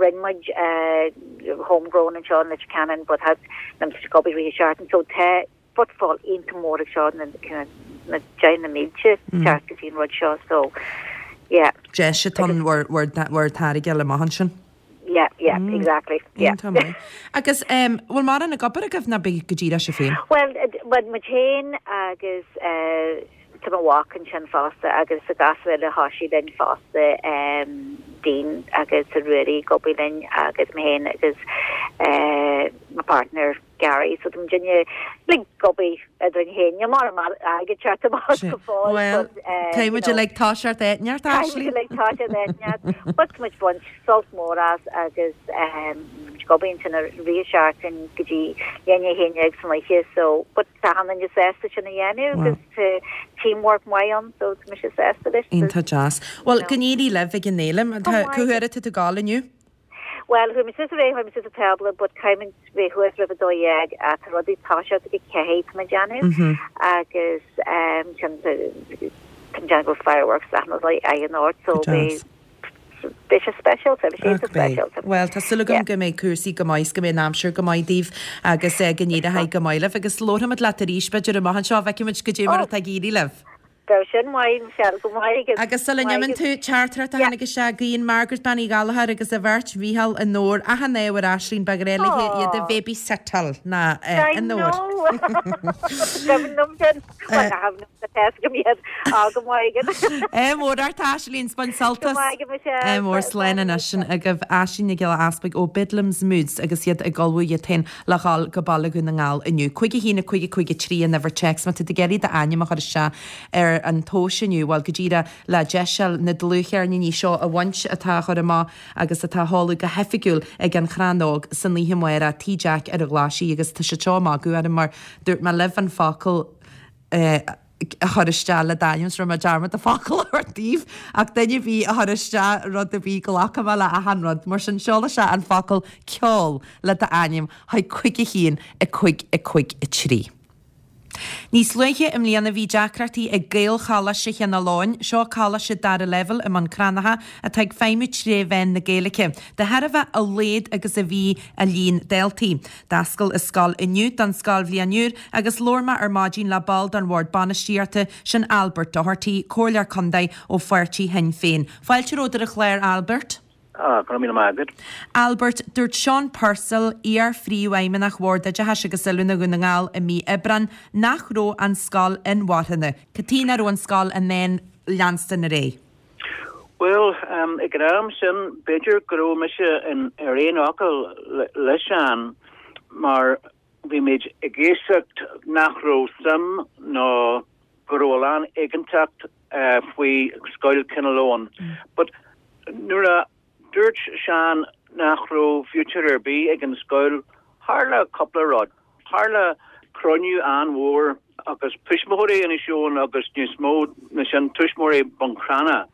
Rinne muid homegrown anseo in Leitir Ceanainn but had na ag obair rith seachtain so tá footfall iontach mór ag seo na na deich na mílte teacht go dtí an rud seo so yeah. Deis atá ann bhur bhur bhur táirge a fháil amach ansin. Yeah, yeah, exactly, yeah. Iontach maith. Agus em, bhfuil mórán ag obair agaibh nó b'é go díreach sibh féin? Bhuel, bhuel, muid féin agus eh, tá mo mhac ansin fosta agus sa gasúr eile thosaigh linn fosta, em, Dean agus a Ruairí ag obair linn agus mé féin agus eh, mo partner Gary, so tá muidinne like ag obair eadrainn féin, níl mórán airgid ag teacht amach go fóill Bhuel, but eh, caithfidh you muid know, uilig toiseacht áit inteacht, caithfidh muid Aisling. uilig toiseacht áit inteacht, but tá muid ag baint sult mór as agus em, muid ag obair ansin i rith an seachtain go dtí leath i ndiaidh a 11 san oíche so but tá achan duine sásta sin a dhéanamh agus tá teamwork maith ann so tá mise sásta leis. Iontach deas. Bhuel, go n-éirí libh ag an fhéile. Tá, cá huair atá tú ag gabháil inniu? Bhuel, chuaigh mé suas aréir, chuaigh mé suas an tábla, but caithfidh muid bheith thuas roimh 12, tá rudaí ag toiseacht ag 4, tá mé ag déanamh, agus sin, tá mé ag déanamh go bhfuil fireworks achan rud in ord, so beidh, beidh sé speisialta, beidh sé iontach speisialta. Bhuel, tá súil agam go mbeidh cúrsaí go maith is go mbeidh an aimsir go maith daoibh agus go n-éireoidh go maith libh agus labharfaimid leat arís, b'fhéidir, amach anseo, feicfimid goidé mar atá ag éirí libh. Bheadh sin maith, Michelle, go maith agat. Agus sula n-imíonn tú, teachtaireacht a tháinig isteach, guíonn Margaret Bean Uí Ghallchóir agus a bheirt, Mhícheál onóir, achan ádh ar Aisling, ba ghnách léi iad a bhaby-sittáil ná I onóir. know! Cuimhin liom sin. Bhuel, nach cuimhin liom, tá fhios agam iad. Á, go maith agat. Ádh mór ort, Aisling, 's bain sult Go as. maith agat, Michelle. Ádh mór, slán anois sin agaibh Aisling Nic Giolla Easpaig ó Bedlam's Moods agus iad ag ullmhú iad féin le dhul go Baile Dhún na nGall inniu. 5 1 5 5 3 an uimhir téacs. Má tá tú ag iarraidh d'ainm a chur isteach ar an tomhas inniu, bhuel, go díreach le deis na dlúthcheirníní seo a bhaint atá á chur amach agus atá á sheoladh go hoifigiúil ag An Chrann Óg san oíche amárach, Tigh Jack ar an Ghlaisigh agus tá siad seo ag magadh orm mar dúirt mé libh an focal eh, a chur isteach le d'ainm, is rinne mé dearmad an focal a thabhairt daoibh, ach duine ar bith a chur isteach rud ar bith, glacfaidh mé le achan rud. Mar sin, seol isteach an focal ceol le d'ainm chuig 5 1 5 5 3. Níos luaithe i mbliana bhí deacrachtaí ag Gaelcholáiste Chineál Eoghain, seo coláiste dara leibhéal i mBun Cranncha atá ag feidhmiú tré mheán na Gaeilge, de thairbhe a laghad agus a bhí a líon daltaí. D'oscail an scoil inniu don scoilbhliain úr agus labhair mé ar maidin le ball den Bhord Bainistíochta, sin Albert Doherty, Comhairleoir Contae ó pháirtí Shinn Féin. Fáilte romhat ar an chlár, Albert. Ah, go raibh míle maith agat. Albert, dúirt Seán Purcell, iar-phríomhfheidhmeannach Bhord Oideachais agus Oiliúna Dhún na nGall i mí Aibreáin nach raibh an scoil inmharthana. Cad chuige nach raibh an scoil in ann leanstan ar aghaidh? Bhuel, ag an am sin, b'fhéidir go raibh mise ar aon fhocal le Seán mar bhí muid ag éisteacht nach raibh suim nó go raibh a lán éiginnteacht faoi Scoil Chineál Eoghain. But nuair a dúirt Seán nach raibh future ar bith ag an scoil, tharla cúpla rud. Tharla cruinniú an-mhór agus tuismitheoirí Inis Eoghain agus níos mó ná sin tuismitheoirí Bhun Cranncha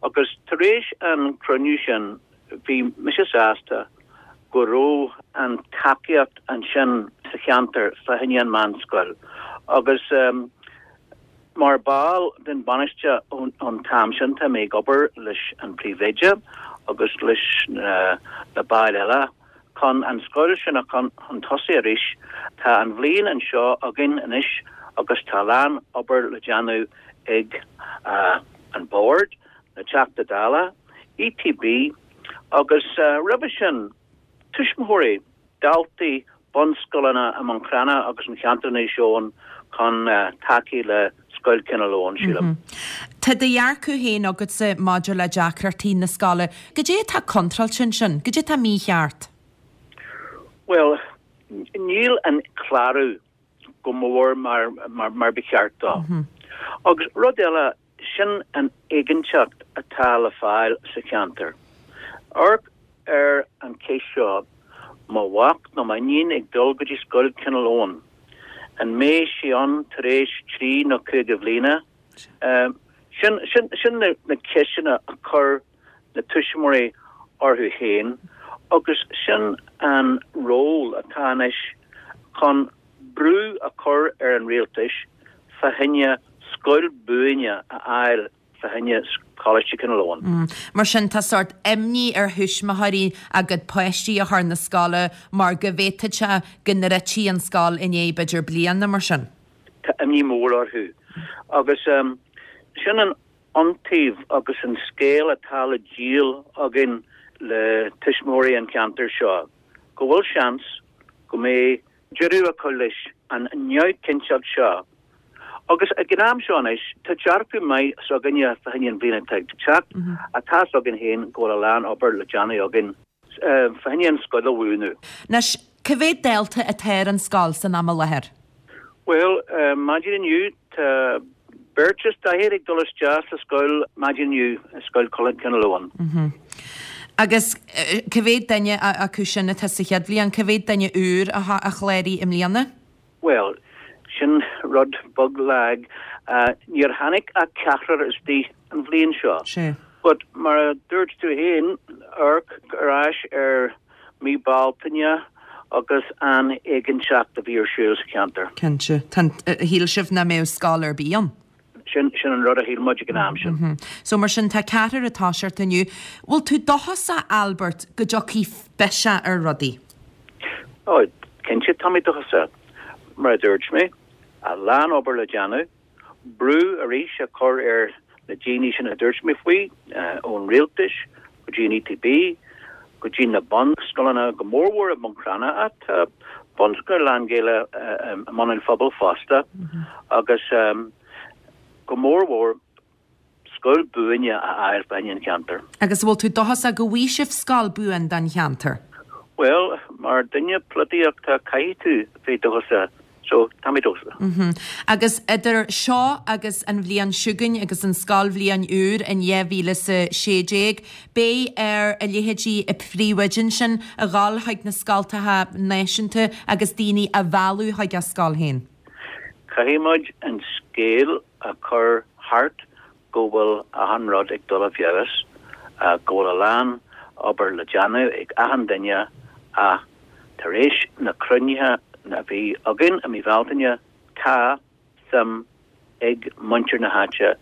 agus tar éis an cruinniú sin bhí mise sásta go raibh an tacaíocht ansin sa cheantar fá choinne an meánscoil agus mar ball den bainiste ón t-am sin tá mé ag obair leis an príomhoide agus leis na baill eile chun an scoil sin a chun chun tosaigh arís. Tá an bhliain anseo againn anois agus tá a lán obair le déanamh ag an Bord, na Teachta Dála, ETB agus roimhe sin tuismitheoirí, daltaí bunscoileanna i mBun Cranncha agus an cheantar Inis Eoghain chun tacú le Scoil Chineál Eoghain, sílim. Tá do dhearcadh féin agatsa maidir le deacrachtaí na scoile. Cad é atá contráilte ansin? Cad é atá mícheart? Bhuel, níl an clárú go mór mar mar ba cheart dó. Agus rud eile, Sin an éiginnteacht atá le fáil sa cheantar. Amharc ar an cheist seo, mo mhac nó m'iníon ag dul go dtí scoil Chineál Eoghain, an mbeidh sé ann tar éis 3 nó 5 bhliana? Sin, sin, sin na ceisteanna a chuir na tuismitheoirí orthu féin agus sin an ról atá anois chun brú a chur ar an rialtais fá choinne scoil buaine a fháil fá choinne Coláiste Chineál Eoghain. Mar sin tá sórt imní ar thuismitheoirí a gcuid páistí a chur na scoile mar go bhféadfadh sé go ndruidfí an scoil i ndiaidh b'fhéidir bliana mar sin. Tá imní mór orthu agus sin an iontaoibh agus an scéal atá le díol againn le tuismitheoirí an cheantair seo, go bhfuil seans go mbeidh deireadh a chur leis an neamhchinnteacht seo. Agus ag an am seo anois, tá dearcadh maith s'againne fá choinne an bhliain atá ag teacht, ach tá's againn féin go bhfuil a lán obair le déanamh againn fá choinne an scoil a bhuanú. Anois, cá mhéad dalta atá ar an scoil san am i láthair? Bhuel, maidin inniu tá beirt is daichead ag dul isteach sa scoil maidin inniu, i Scoil Chineál Eoghain. Agus cá mhéad duine acu sin atá sa chéad bhliain? Cá mhéad duine úr a chláraigh i mbliana? Bhuel, sin rud beag lag. Níor tháinig ach ceathrar istigh an bhliain seo. Sea. But mar a dúirt tú féin, amharc ar ais ar mí Bealtaine agus an éiginnteacht a bhí ar siúl sa cheantar. Cinnte. Tá an, shíl sibh nach mbeadh scoil ar bith ann? Sin, sin an rud a shíl muid ag an am sin. So mar sin tá ceathrar ag toiseacht inniu. Bhfuil tú dóchasach, Albert, go dtiocfaidh biseach ar rudaí? Ó, cinnte tá mé dóchasach. Mar a dúirt mé, a lán obair le déanamh. Brú arís a chur ar na daoine sin a dúirt mé faoi, ón rialtais go dtí an ETB, go dtí na bunscoileanna, go mórmhór i mBun Cranncha, ach tá bunscoil lán-Ghaeilge i mBun an Phobail fosta, agus go mórmhór scoil buaine a fháil fá choinne an cheantair. Agus an bhfuil tú dóchasach go bhfaighidh sibh scoil buan don cheantar? Bhuel, mar duine polaitíochta caithfidh tú bheith dóchasach, so tá mé dóchasach. Agus idir seo agus an bhliain chugainn agus an scoilbhliain úr in 2016, beidh ar a leithéidí an phríomhoide ansin a dhul chuig na scoltacha náisiúnta agus daoine a mhealladh chuig a scoil féin. Caithfidh muid an scéal a chur thart go bhfuil achan rud ag dul i bhfeabhas, go bhfuil a lán obair le déanamh ag achan duine ach tar éis na cruinnithe a bhí againn i mí Bhealtaine tá suim ag muintir na háite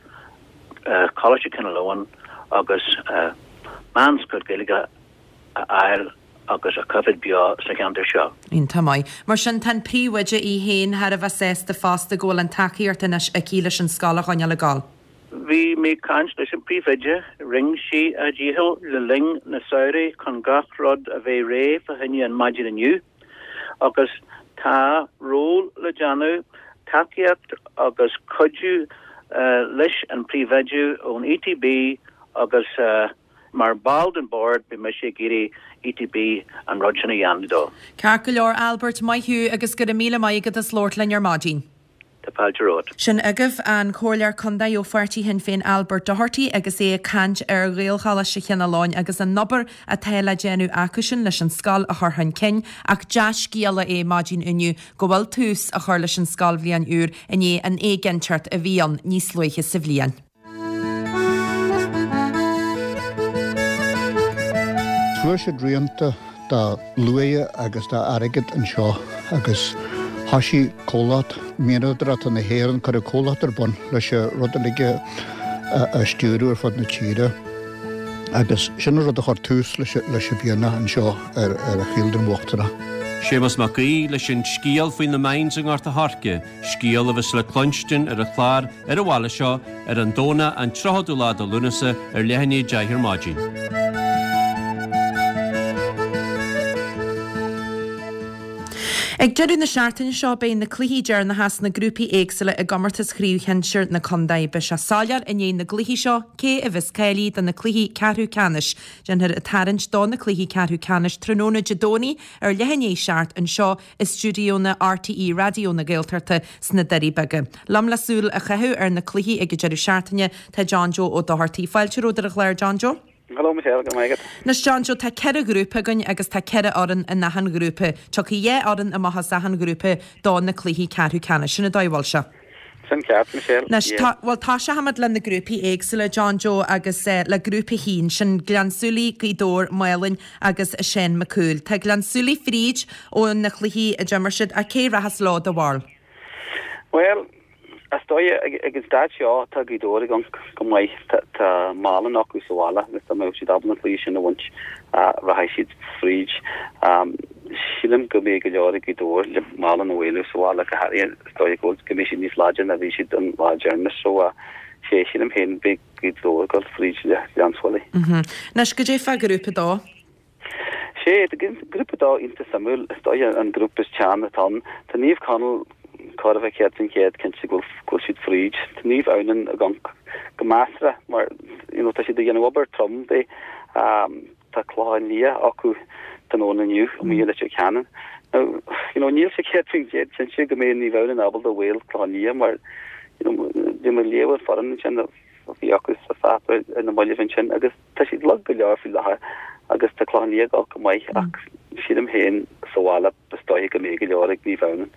Coláiste Chineál Eoghain agus meánscoil Gaeilge a fháil agus a choimhéad beo sa cheantar seo. Iontach maith. Mar sin, tá an príomhoide í féin thar a bheith sásta fosta go bhfuil an tacaíocht anois aici leis an scoil a choinneáil ag dul. Bhí mé ag caint leis an príomhoide, rinne sí a dícheall le linn na samhraidh chun gach rud a bheith réidh fá choinne an maidin inniu agus tá ról le déanamh, tacaíocht agus cuidiú leis an príomhoide ón ETB agus mar ball den bord beidh mise ag iarraidh ETB an rud sin a dhéanamh dó. Ceart go leor Albert, maith thú agus go raibh míle maith agat as labhairt linn ar maidin. Tá fáilte romhat. Sin agaibh an Comhairleoir Contae ó pháirtí Shinn Féin Albert Doherty agus é ag caint ar Ghaelcholáiste Chineál Eoghain agus an obair atá le déanamh acusan leis an scoil a chur chun cinn ach dea-scéala é maidin inniu go bhfuil tús á chur leis an scoilbhliain úr i ndiaidh an éiginnteacht a bhí ann níos luaithe sa bhliain. Fuair siad rianta de luaidhe agus de airgead anseo agus thoisigh comhlacht mianadóireachta na hÉireann, cuireadh comhlacht ar bun leis an rud uilig a stiúradh ar fud na tíre agus sin an rud a chuir tús leis an mhianach anseo ar an Chaoldroim Uachtarach. Séamus Mac Aoidh leis an scéal faoi na mines i nGort a' Choirce, Scéal a bheas le cluinstin ar an chlár ar an bhaile seo ar an Domhnach an 30ú lá de Lúnasa ar leath i ndiaidh 10 ar maidin. Ag deireadh na seachtaine seo beidh na cluichí deireanacha sna grúpaí éagsúla i gcomórtas Chraobh Shinsir na Contae. Beidh sé soiléir i ndiaidh na gcluichí seo cé a bheas cáilithe do na cluichí ceathrú ceannais. Déanfar an tarraingt do na cluichí ceathrú ceannais tráthnóna Dé Domhnaigh ar leath i ndiaidh 7 anseo i stiúidíónna RTÉ Raidió na Gaeltachta sna Doirí Beaga. Liom le súil a chaitheamh ar na cluichí ag an deireadh seachtaine tá John Joe Ó Dochartaigh. Fáilte romhat ar an chlár, John Joe. Hello Michelle, go raibh maith agat. Anois John Joe, tá 4 ghrúpa againn agus tá 4 fhoireann in achan ghrúpa. Tiocfaidh 2 fhoireann amach as achan ghrúpa do na cluichí ceathrú ceannais. Sin an dóigh a bhfuil sé. Sin ceart, Michelle. Anois, tá, bhuel, tosóimid le na grúpaí éagsúla, John Joe, agus le grúpa a haon, sin Gleann tSúilí, Gaoth Dobhair, Málainn agus Seán Mac Cumhaill. Tá Gleann tSúilí fríd ó na cluichí a d'imir siad, ach cé rachas leo do bharúil? Bhuel, is dóigh ag an staid seo tá Gaoth Dobhair ag amharc go maith. Tá Málainn acu sa bhaile agus dá mbeadh siad ábalta an cluiche sin a bhaint, rachaidh siad fríd. Sílim go mbeidh go leor ag Gaoth Dobhair le Málainn a mhaolú sa bhaile, go háirithe is dóigh go bhfuil go mbeidh siad níos láidre ná bhí siad an lá deireanach so sé sílim féin beidh Gaoth Dobhair ag dul fríd le Gleann tSúilí. Anois goidé fá ghrúpa a dó. Sé grúpa a dó iontach suimiúil is dóigh an grúpa is teann atá ann. Tá Naomh Conaill chóir a bheith 100% cinnte go bhfuil siad fríd. Tá Naomh Adhamhnáin ag amharc go measartha mar you know tá siad ag déanamh obair trom dé. Tá Clochán Liath acu tráthnóna inniu amuigh i Leitir Ceanainn. Now, you know, níl sé 100% cinnte go mbeidh Naomh Adhamhnáin ábalta mhaol Clochán Liath mar, you know, bhí mé ag léamh an foireann ansin a bhí acu sa pháipéar ar na mallaibh ansin agus tá siad lag go leor faoi láthair agus tá Clochán Liath ag dul go maith ach sílim féin sa bhaile is dóiche go mbeidh go leor ag Naomh Adhamhnáin.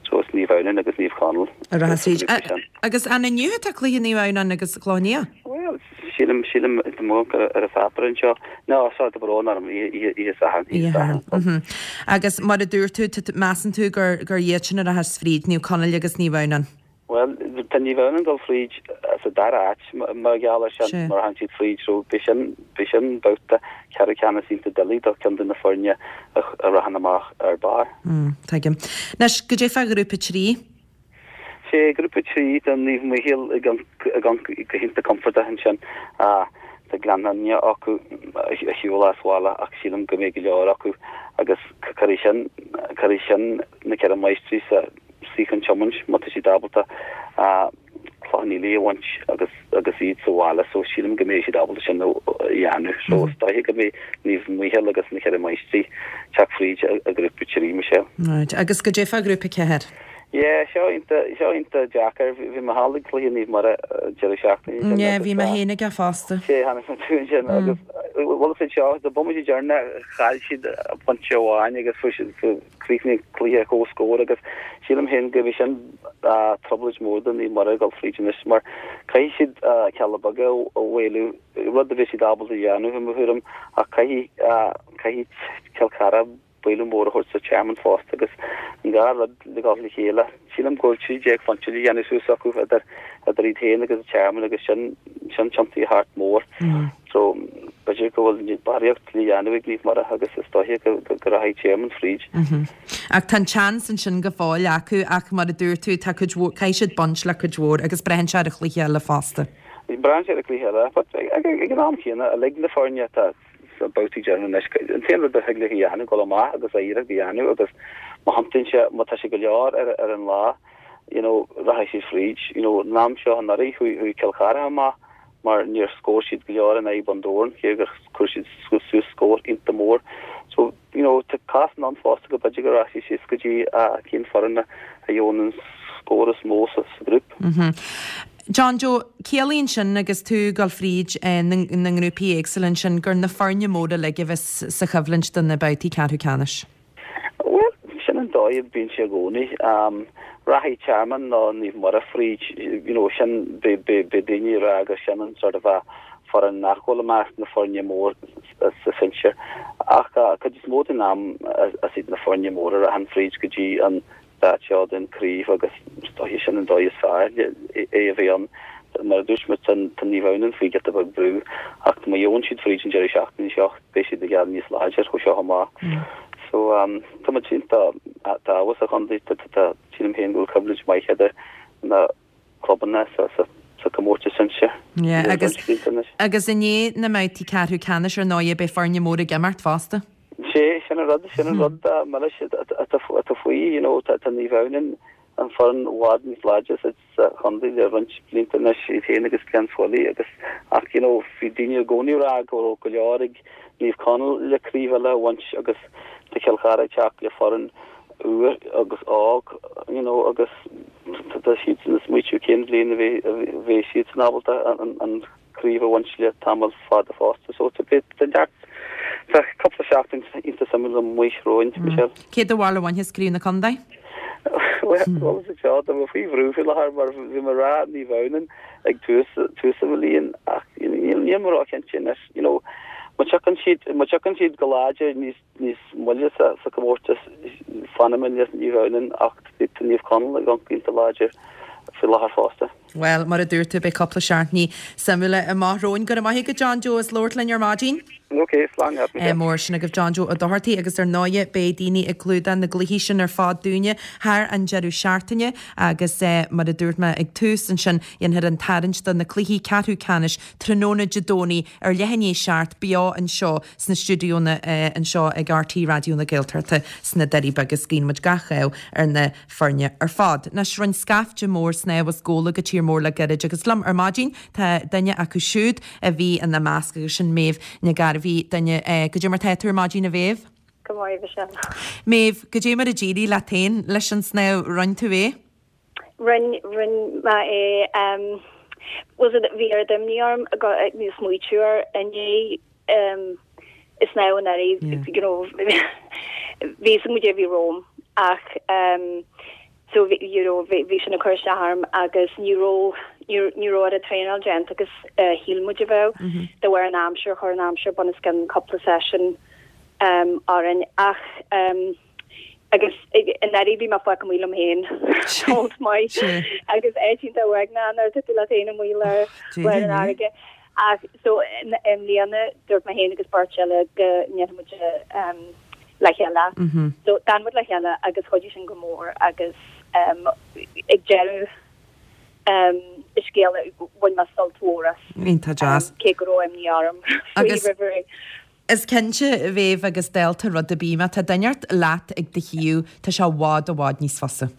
So is Naomh Adhamhnáin agus Naomh Conaill a rachas fríd. Agus an inniu atá cluiche Naomh Adhamhnáin agus Clochán Liath? Bhuel, sílim, sílim, tá mé ag amharc ar an pháipéar anseo. No, sorry, tá brón orm, oíche Sathairn, oíche Sathairn. Agus mar a dúirt tú, measann tú gur gur iad sin a rachas fríd, Naomh Conaill agus Naomh Adhamhnáin? Bhuel, tá Naomh Adhamhnáin ag dul fríd sa dara háit mar gheall air sin, mar thagann siad fríd, so beidh sin, beidh sin babhta ceathrú ceannais iontach doiligh do cheann de na foirne a rachann amach ar barr. Tuigim. Anois, goidé fá ghrúpa 3? Sé grúpa 3 tá Naomh Micheál ag amharc go hiontach compordach ansin. Tá Gleann Fhinne acu ar shiúl as bhaile ach sílim go mbeidh go leor acu agus cuirfidh sin, cuirfidh sin na Ceithre Máistrí sa suíochán tiomáint má tá siad ábalta Cloich Cheann Fhaola a bhaint agus agus iad sa bhaile so sílim go mbeidh siad ábalta sin a dhéanamh. So is dóiche go mbeidh Naomh Micheál agus na Ceithre Máistrí teacht fríd i ngrúpa 3, Michelle. Right. Agus goidé fá ghrúpa 4? Yeah, seo iontach, seo iontach deacair. Bhí mé thall ag cluiche Naomh Muire deireadh seachtaine sin. Yeah, bhí mé féin aige fosta. Sé, tháinig mé tú ansin agus bhuel is seo, do bomaite deireanach chaill siad pointe amháin agus fuair siad chríochnaigh an cluiche ar comhscór agus sílim féin go mbeidh sin trioblóid mhór do Naomh Muire ag dul fríd anois mar caithfidh siad Cealla Beaga a mhaolú, rud a bheidh siad ábalta a dhéanamh i mo thuairim ach caithfidh caithfidh Cill Chartha bualadh mór a thabhairt do Tearmann fosta agus an dhá rud le dhul le chéile. Sílim go bhfuil 13 phointe le dhéanamh suas acu idir idir iad féin agus Tearmann agus sin sin tiontaithe thart mór. So b'fhéidir go bhfuil barraíocht le dhéanamh ag Naomh Muire agus is dóiche go go rachaidh Tearmann fríd. Ach tá an tseans ansin go fóill acu ach mar a dúirt tú tá cuid mhór, caithfidh siad baint le cuid mhór agus braitheann sé ar an chluiche eile fosta. Braitheann sé ar an gcluiche eile. But ag an am chéanna, uilig na foirne atá sna babhtaí deireanacha anois, an t-aon rud a thig leo a dhéanamh, dul amach agus a iarracht a dhéanamh agus má thiontaíonn sé, má tá sé go leor ar ar an lá, you know, rachaidh siad fríd. You know, an am seo anuraidh, chuaigh chuaigh Cill Chartha amach mar níor scór siad go leor in aghaidh Bun Dobhráin, cé gur chuir siad suas scór iontach mór. So, you know, tá cásanna ann fosta go b'fhéidir go rachaidh sé síos go dtí cén foireann a gheobhann an scór is mó sa ghrúpa. John Joe, ciallaíonn sin agus tú ag dul fríd na ngrúpaí éagsúla ansin gur na foirne móra uilig a bheas sa choimhlint do na babhtaí ceathrú ceannais. Bhuel, sin an dóigh a bíonn sé i gcónaí. Rachaidh Tearmann nó Naomh Muire fríd, you know, sin, beidh daoine ag rá gur sin an sort of a foireann nach bhfuil i measc na foirne mór sa sinsir. Ach cuid is mó den am is iad na foirne móra a rachann fríd go dtí an stáid seo den chraobh agus is dóiche sin an dóigh is fearr é a bheith ann. Mar a dúirt mé, tá Naomh Adhamhnáin faoi giota beag brú ach má gheobhann siad fríd an deireadh seachtaine seo beidh siad ag gabháil níos láidir ó seo amach. So tá muid iontach abhus sa chontae, tá sílim féin go bhfuil coimhlint maith idir na clubanna sa sa comórtas sinsir. Yeah, agus agus i ndiaidh na mbabhtaí ceathrú ceannais ar ndóigh beidh foirne móra ag imirt fosta. Sé, sin an rud, sin an rud milis atá faoi, you know, tá Naomh Adhamhnáin an foireann i bhfad níos láidre sa sa chontae le roinnt blianta anois, iad féin agus Gleann tSúilí agus ach, you know, bhí daoine i gcónaí ag rá go raibh go leor ag Naomh Conaill le craobh eile a bhaint agus tá Cill Chartha ag teacht le foireann úr agus óg, you know, agus tá siadsan ag smaoitiú cén bhliain a bheidh siadsan ábalta an craobh a bhaint le tamall fada fosta. So tá neart, tá cúpla seachtain iontach suimiúil amuigh romhainn, Michelle. Cé do bharúil a bhainfeas craobh na contae? Bhuel, is é seo, tá mé faoi bhrú faoi láthair mar bhí mé ag rá Naomh Adhamhnáin ag tús tús an bhliain ach níl mé róchinnte anois, you know, má tiocfaidh siad, má tiocfaidh siad go láidir níos níos moille sa chomórtas, fanfaidh mé le Naomh Adhamhnáin ach tá Naomh Conaill ag amharc iontach láidir faoi láthair fosta. Bhuel, mar a dúirt tú, beidh cúpla seachtainí suimiúla amach romhainn. Go raibh maith agat John Joe as labhairt linn ar maidin. Ok, slán leat, Michelle. Mór sin agaibh John Joe Ó Dochartaigh agus ar ndóighe beidh daoine ag clúdach na gcluichí sin ar fad dúinne thar an deireadh seachtaine agus mar a dúirt mé ag tús ansin dhéanfar an tarraingt do na cluichí ceathrú ceannais tráthnóna Dé Domhnaigh ar leath i ndiaidh a 7 beo anseo sna stiúideonna anseo ag RTÉ Raidió na Gaeltachta sna Doirí Beaga agus guíonn muid gach ádh ar na foirne ar fad. Anois, rinne scaifte mór snámh as Gabhla go tír mór le gairid agus liom ar maidin tá duine acu siúd a bhí ina measc agus sin Méabh Nic Gairbhí, duine, goidé mar tá tú ar maidin a Mhéabh? Go maith, Michelle. Méabh, goidé mar a d'éirigh leat féin leis an snámh, rinne tú é? Rinne, rinne mé é. Bhuel, bhí oiread imní orm go smaoitiú air i ndiaidh an snámh anuraidh, you know, bhí fhios agam goidé a bhí romham ach so bhí, you know, bhí sin ag cur isteach orm agus ní raibh, ní raibh oiread traenáil déanta agus shíl muid a bheadh de bharr an aimsir, chuir an aimsir bunoscionn cúpla session orainn ach Agus anuraidh bhí mé fágtha amuigh liom féin seans maith agus áit iontach uaigneach nuair atá tú leat féin amuigh i lár an fharraige. Ach so i mbliana dúirt mé féin agus beirt eile go ndéanfaidh muid le chéile. So d'fhan muid le chéile agus chuidigh sin go mór agus ag deireadh an scéil bhain mé sult mhór as. Iontach deas. Cé go raibh imní orm faoi roimh ré. Is cinnte, a Mhéabh, agus dálta rud ar bith, má tá duine inteacht leat ag do thaobh, tá sé i bhfad, i bhfad níos fusa.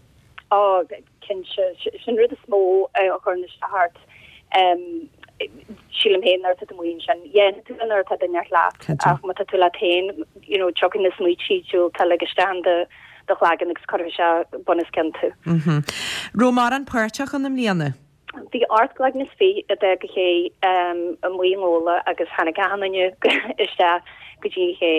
Á, cinnte. Sin rud is mó a chuireann isteach ort, sílim féin, nuair atá tú amuigh ansin. Dhéanfaidh tú nuair atá duine inteacht leat, ach má tá tú leat féin, you know, tiocfaidh na smaointe diúltacha uilig isteach in do do chlaigeann agus cuirfidh sé bunoscionn tú. Raibh mórán páirteach ann i mbliana? Bhí 28 gcloigne a d'fhág an ché amuigh i nGabhla agus tháinig achan duine isteach go dtí an ché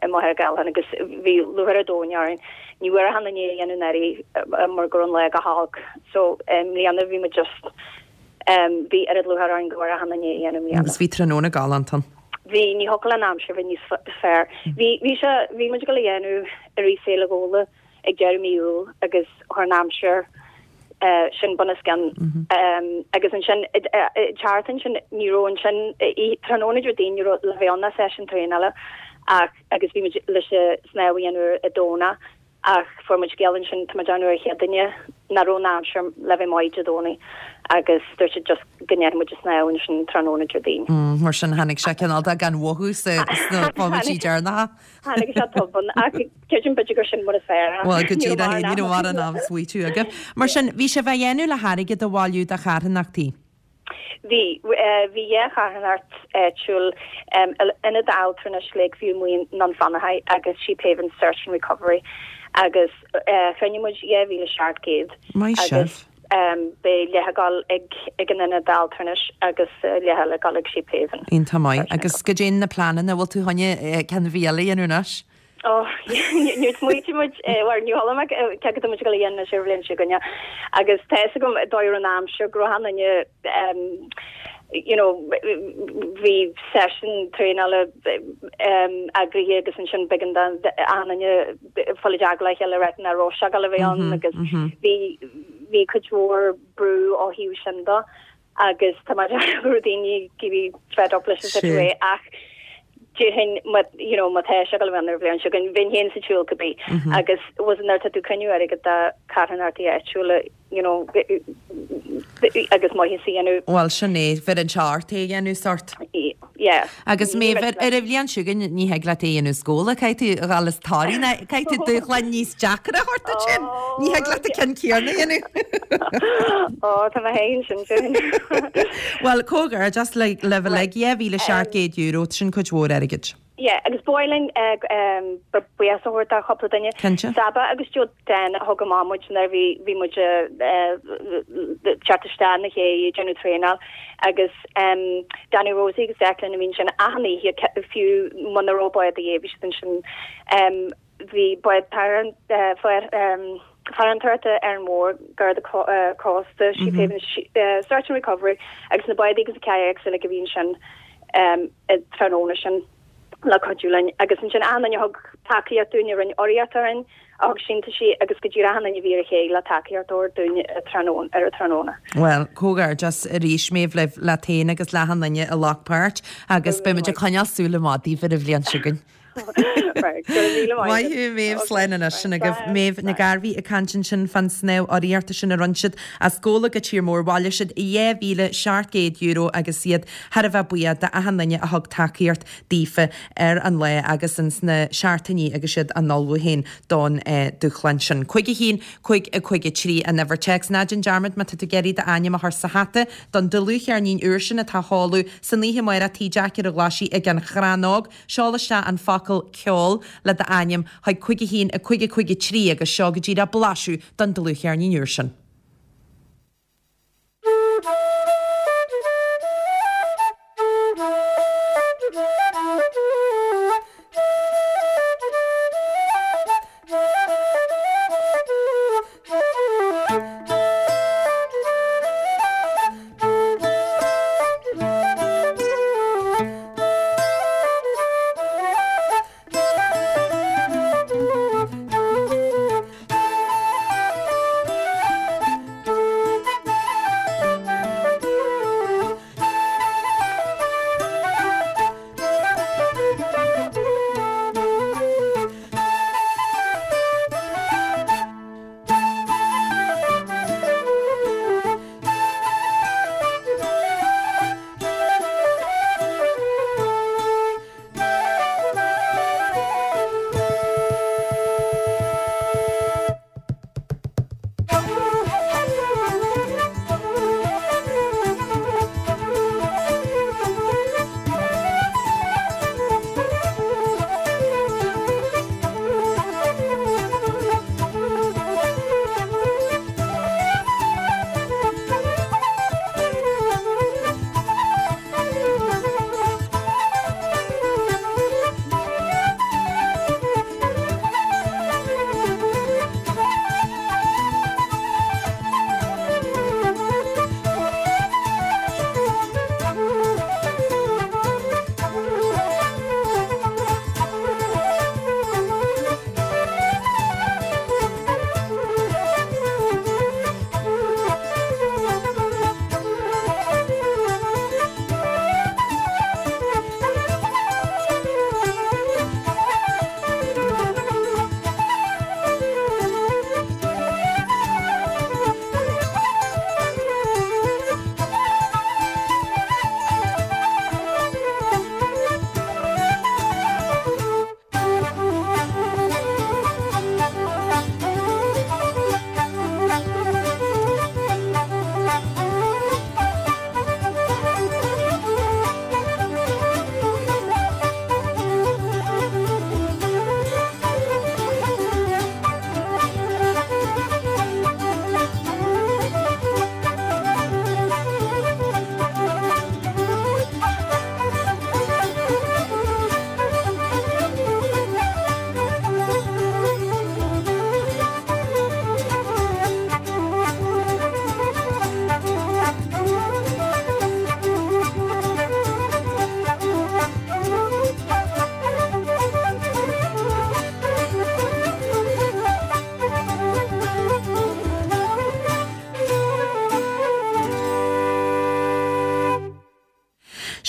i Machaire Gathlán agus bhí lúcháir an domhain orainn. Ní bhfuair achan duine é a dhéanamh anuraidh mar go raibh an lá go holc so i mbliana bhí muid just bhí oiread lúcháir orainn go bhfuair achan duine é a dhéanamh i mbliana. Agus bhí tráthnóna galánta ann. Bhí, ní thiocfadh le an aimsir bheith níos fearr. Bhí, bhí sé, bhí muid ag dul a dhéanamh i rith Féile Ghabhla ag deireadh mí Iúil agus chuir an aimsir sin bunoscionn agus ansin teacht ansin ní raibh ansin tráthnóna Déardaoin ní raibh le bheith ann ná seisiún traenála ach agus bhí muid leis an snámh a dhéanamh ar an Domhnach. Ach fuair muid scéala ansin, tá mé ag déanamh ar an chéad duine, nach raibh an aimsir le bheith maith Dé Domhnaigh agus dúirt siad just go ndéanfaidh muid an snámh ansin tráthnóna Déardaoin. Mar sin tháinig sé cineál de gan mhothú sna bomaití deireanacha. Tháinig sé tobann ach creidim b'fhéidir gur sin mar is fearr. Bhuel go díreach é, ní raibh mórán am smaoitiú agaibh. Mar sin, bhí sibh á dhéanamh le hairgead a bhailiú do charthanachtaí. Bhí. Bhí dhá charthanacht áitiúil, Ionad Altranais Lakeview Naomh Fionnachaidh agus Sheephaven Search and Recovery agus chruinnigh muid 2,700 agus beidh leath ag dul ag an Ionad Altranais agus leath eile ag dul ag Sheephaven. Iontach maith. Agus goidé na pleananna, bhfuil tú chun ceann ar bith eile a dhéanamh anois? Ó, níor smaoitigh muid, bhuel, ní chuala mé cé go muid ag dul a dhéanamh anois ar an bhliain seo chugainn agus tá fhios agam dóigh ar an aimsir go raibh an-duine you know bhí seisiún traenála eagraithe agus ansin b'éigean d'achan duine fáil i dteagmháil le chéile le rá nach raibh sé ag dul a bheith ann agus bhí bhí cuid mhór brú ó thaobh sin de. agus tá mé ag go raibh daoine go bhí fed up leis an situation ach déarfainn má you know má tá sé ag dul a bheith ann ar an bhliain seo chugainn bheinn féin sa tsiúl cibé agus was nuair atá tú ag cruinniú airgead do carthanachtaí áitiúla you know agus maitheas a dhéanamh. Bhuel sin é, bheireann sé ort é a dhéanamh sort. Yeah. Agus Méabh, ar an bhliain seo chugainn ní thig leat é a dhéanamh as Gabhla, caithfidh tú a dhul as Toraigh ná caithfidh tú dúshlán níos deacra a thabhairt duit féin. Ní thig leat an ceann céanna a dhéanamh. Ó, tá mé féin sin sin. Bhuel, comhghairdeas libh uilig, €2,700, sin cuid mhór airgid. Yeah, agus ba mhaith linn buíochas a thabhairt do chúpla duine. Cinnte. Saba agus Joe Dan a thug amach muid nuair a bhí bhí muid ag teacht isteach na chéidh ag déanamh traenáil agus Danny Rosie agus Declan a bhí ansin achan oíche fiú muna raibh bád a dhíth bhí siad ansin. Bhí bád farantóireachta Árainn Mhór Garda Cósta Sheephaven Search and Recovery agus na bádaí agus na kayaks uilig a bhí ansin tráthnóna sin le cuidiú linn agus ansin achan duine a thug tacaíocht dúinn a rinne urraíocht orainn, a thug síntiúisí agus go díreach achan duine a bhí ar an ché le tacaíocht a thabhairt dúinn ar an tráthnóna. Bhuel, comhghairdeas arís Méabh libh, leat féin agus le achan duine a ghlac páirt agus beidh muid ag coinneáil súil amach daoibh ar an bhliain seo chugainn. Right, go raibh míle maith Maith thú Méabh, slán anois. Sin agaibh Méabh Nic Gairbhí ag caint ansin fán snámh urraíochta sin a rinne siad as Gabhla go Tír Mór. Bhailigh siad €2,700 agus iad thar a bheith buíoch d'achan duine a thug tacaíocht daofa ar an lá agus ins na seachtainí agus iad á n-ullmhú féin don dúshlán sin. 5 1 5 5 3 an uimhir téacs. Ná déan dearmad má tá tú ag iarraidh d'ainm a chur sa hata don dlúthcheirnín úr sin atá á sheoladh san oíche amárach Tigh Jeaic ar an Ghlaisigh ag an Chrann Óg. Seol isteach an focal 'ceol' le d'ainm chuig 5 1 5 5 3 agus seo go díreach blaiseadh don dlúthcheirnín úr sin.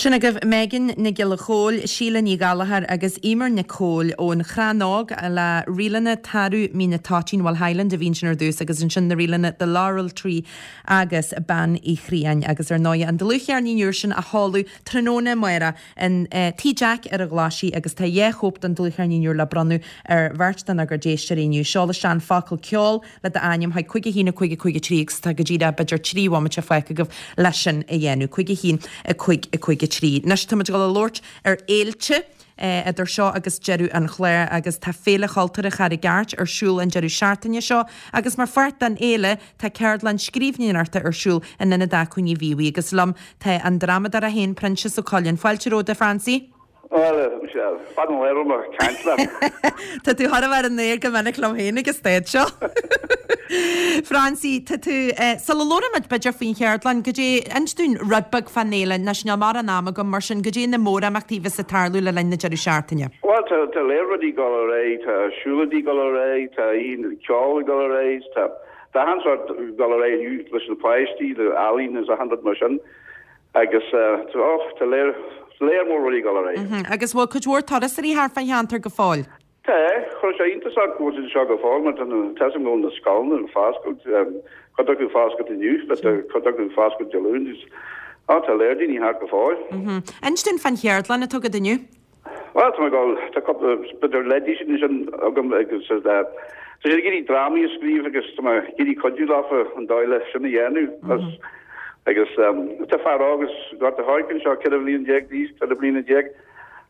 Sin agaibh Megan Nic Giolla Chóill, Síle Ní Ghallchóir agus Emer Nic Cóil ón Chrann Óg le ríleanna Tarbh Mín an Toitín, bhuel Highland a bhí ansin ar dtús agus ansin na ríleanna The Laurel Tree agus Bean Uí Chriain agus ar ndóigh an dlúthcheirnín úr sin á sheoladh tráthnóna amárach in Tigh Jack ar an Ghlaisigh agus tá 2 chóip den dlúthcheirnín úr le bronnadh ar bheirt denár gcuid éisteoirí inniu. Seol isteach an focal 'ceol' le d'ainm chuig 5 1 5 5 3 agus tá go díreach b'fhéidir 3 bhomaite fágtha agaibh leis sin a dhéanamh. 5 1 5 5 3. Anois táimid ag dul a labhairt ar fhéilte idir seo agus deireadh an chláir agus tá Féile Chultúrtha Charraig Airt ar siúl an deireadh seachtaine seo agus mar pháirt den fhéile tá ceardlann scríbhneoireachta ar siúl in Ionad Acmhainní Mhíobhaigh agus liom tá an drámadóir é féin Proinsias Ó Coileáin. Fáilte romhat a Phroinsie. Bhuel, Michelle, fada an lá a raibh mé ag caint leat. Tá tú chóir a bheith ar an aer go minic liom féin ag an staid seo. Phroinsie, tá tú, sula labhraímid b'fhéidir faoin cheardlann, goidé, inis dúinn rud beag fán fhéile, anois níl mórán ama agam, mar sin, goidé na mórimeachtaí a bheas ag tarlú le linn na deireadh seachtaine? Bhuel, tá, tá léar rudaí ag dul ar aghaidh, tá siúlóidí ag dul ar aghaidh, tá oíche ceoil ag dul ar aghaidh, tá, tá achan sórt ag dul ar aghaidh inniu leis na páistí, le ealaín is achan rud mar sin. Agus tá léar léar mór rudaí ag dul ar aghaidh. Agus bhfuil cuid mhór turasóirí thart fán cheantar go fóill? Tá. Chuir sé iontas orm go bhfuil siad anseo go fóill mar tá a fhios agam go bhfuil na scoileanna ag foscailt, cuid acu ag foscailt inniu but tá cuid acu ag foscailt Dé Luain agus á tá léar daoine thart go fóill. Inis dúinn fán cheardlann atá agat inniu. Bhuel, tá mé ag dul, tá cúpla, b'fhéidir leidí sin ansin agam agus tá siad ag iarraidh drámaí a scríobh agus tá mé ag iarraidh cuidiú leofa an dóigh le sin a dhéanamh. Agus tá fear óg as Gort a' Choirce anseo, 14 bhliain d'aois, 14 bliana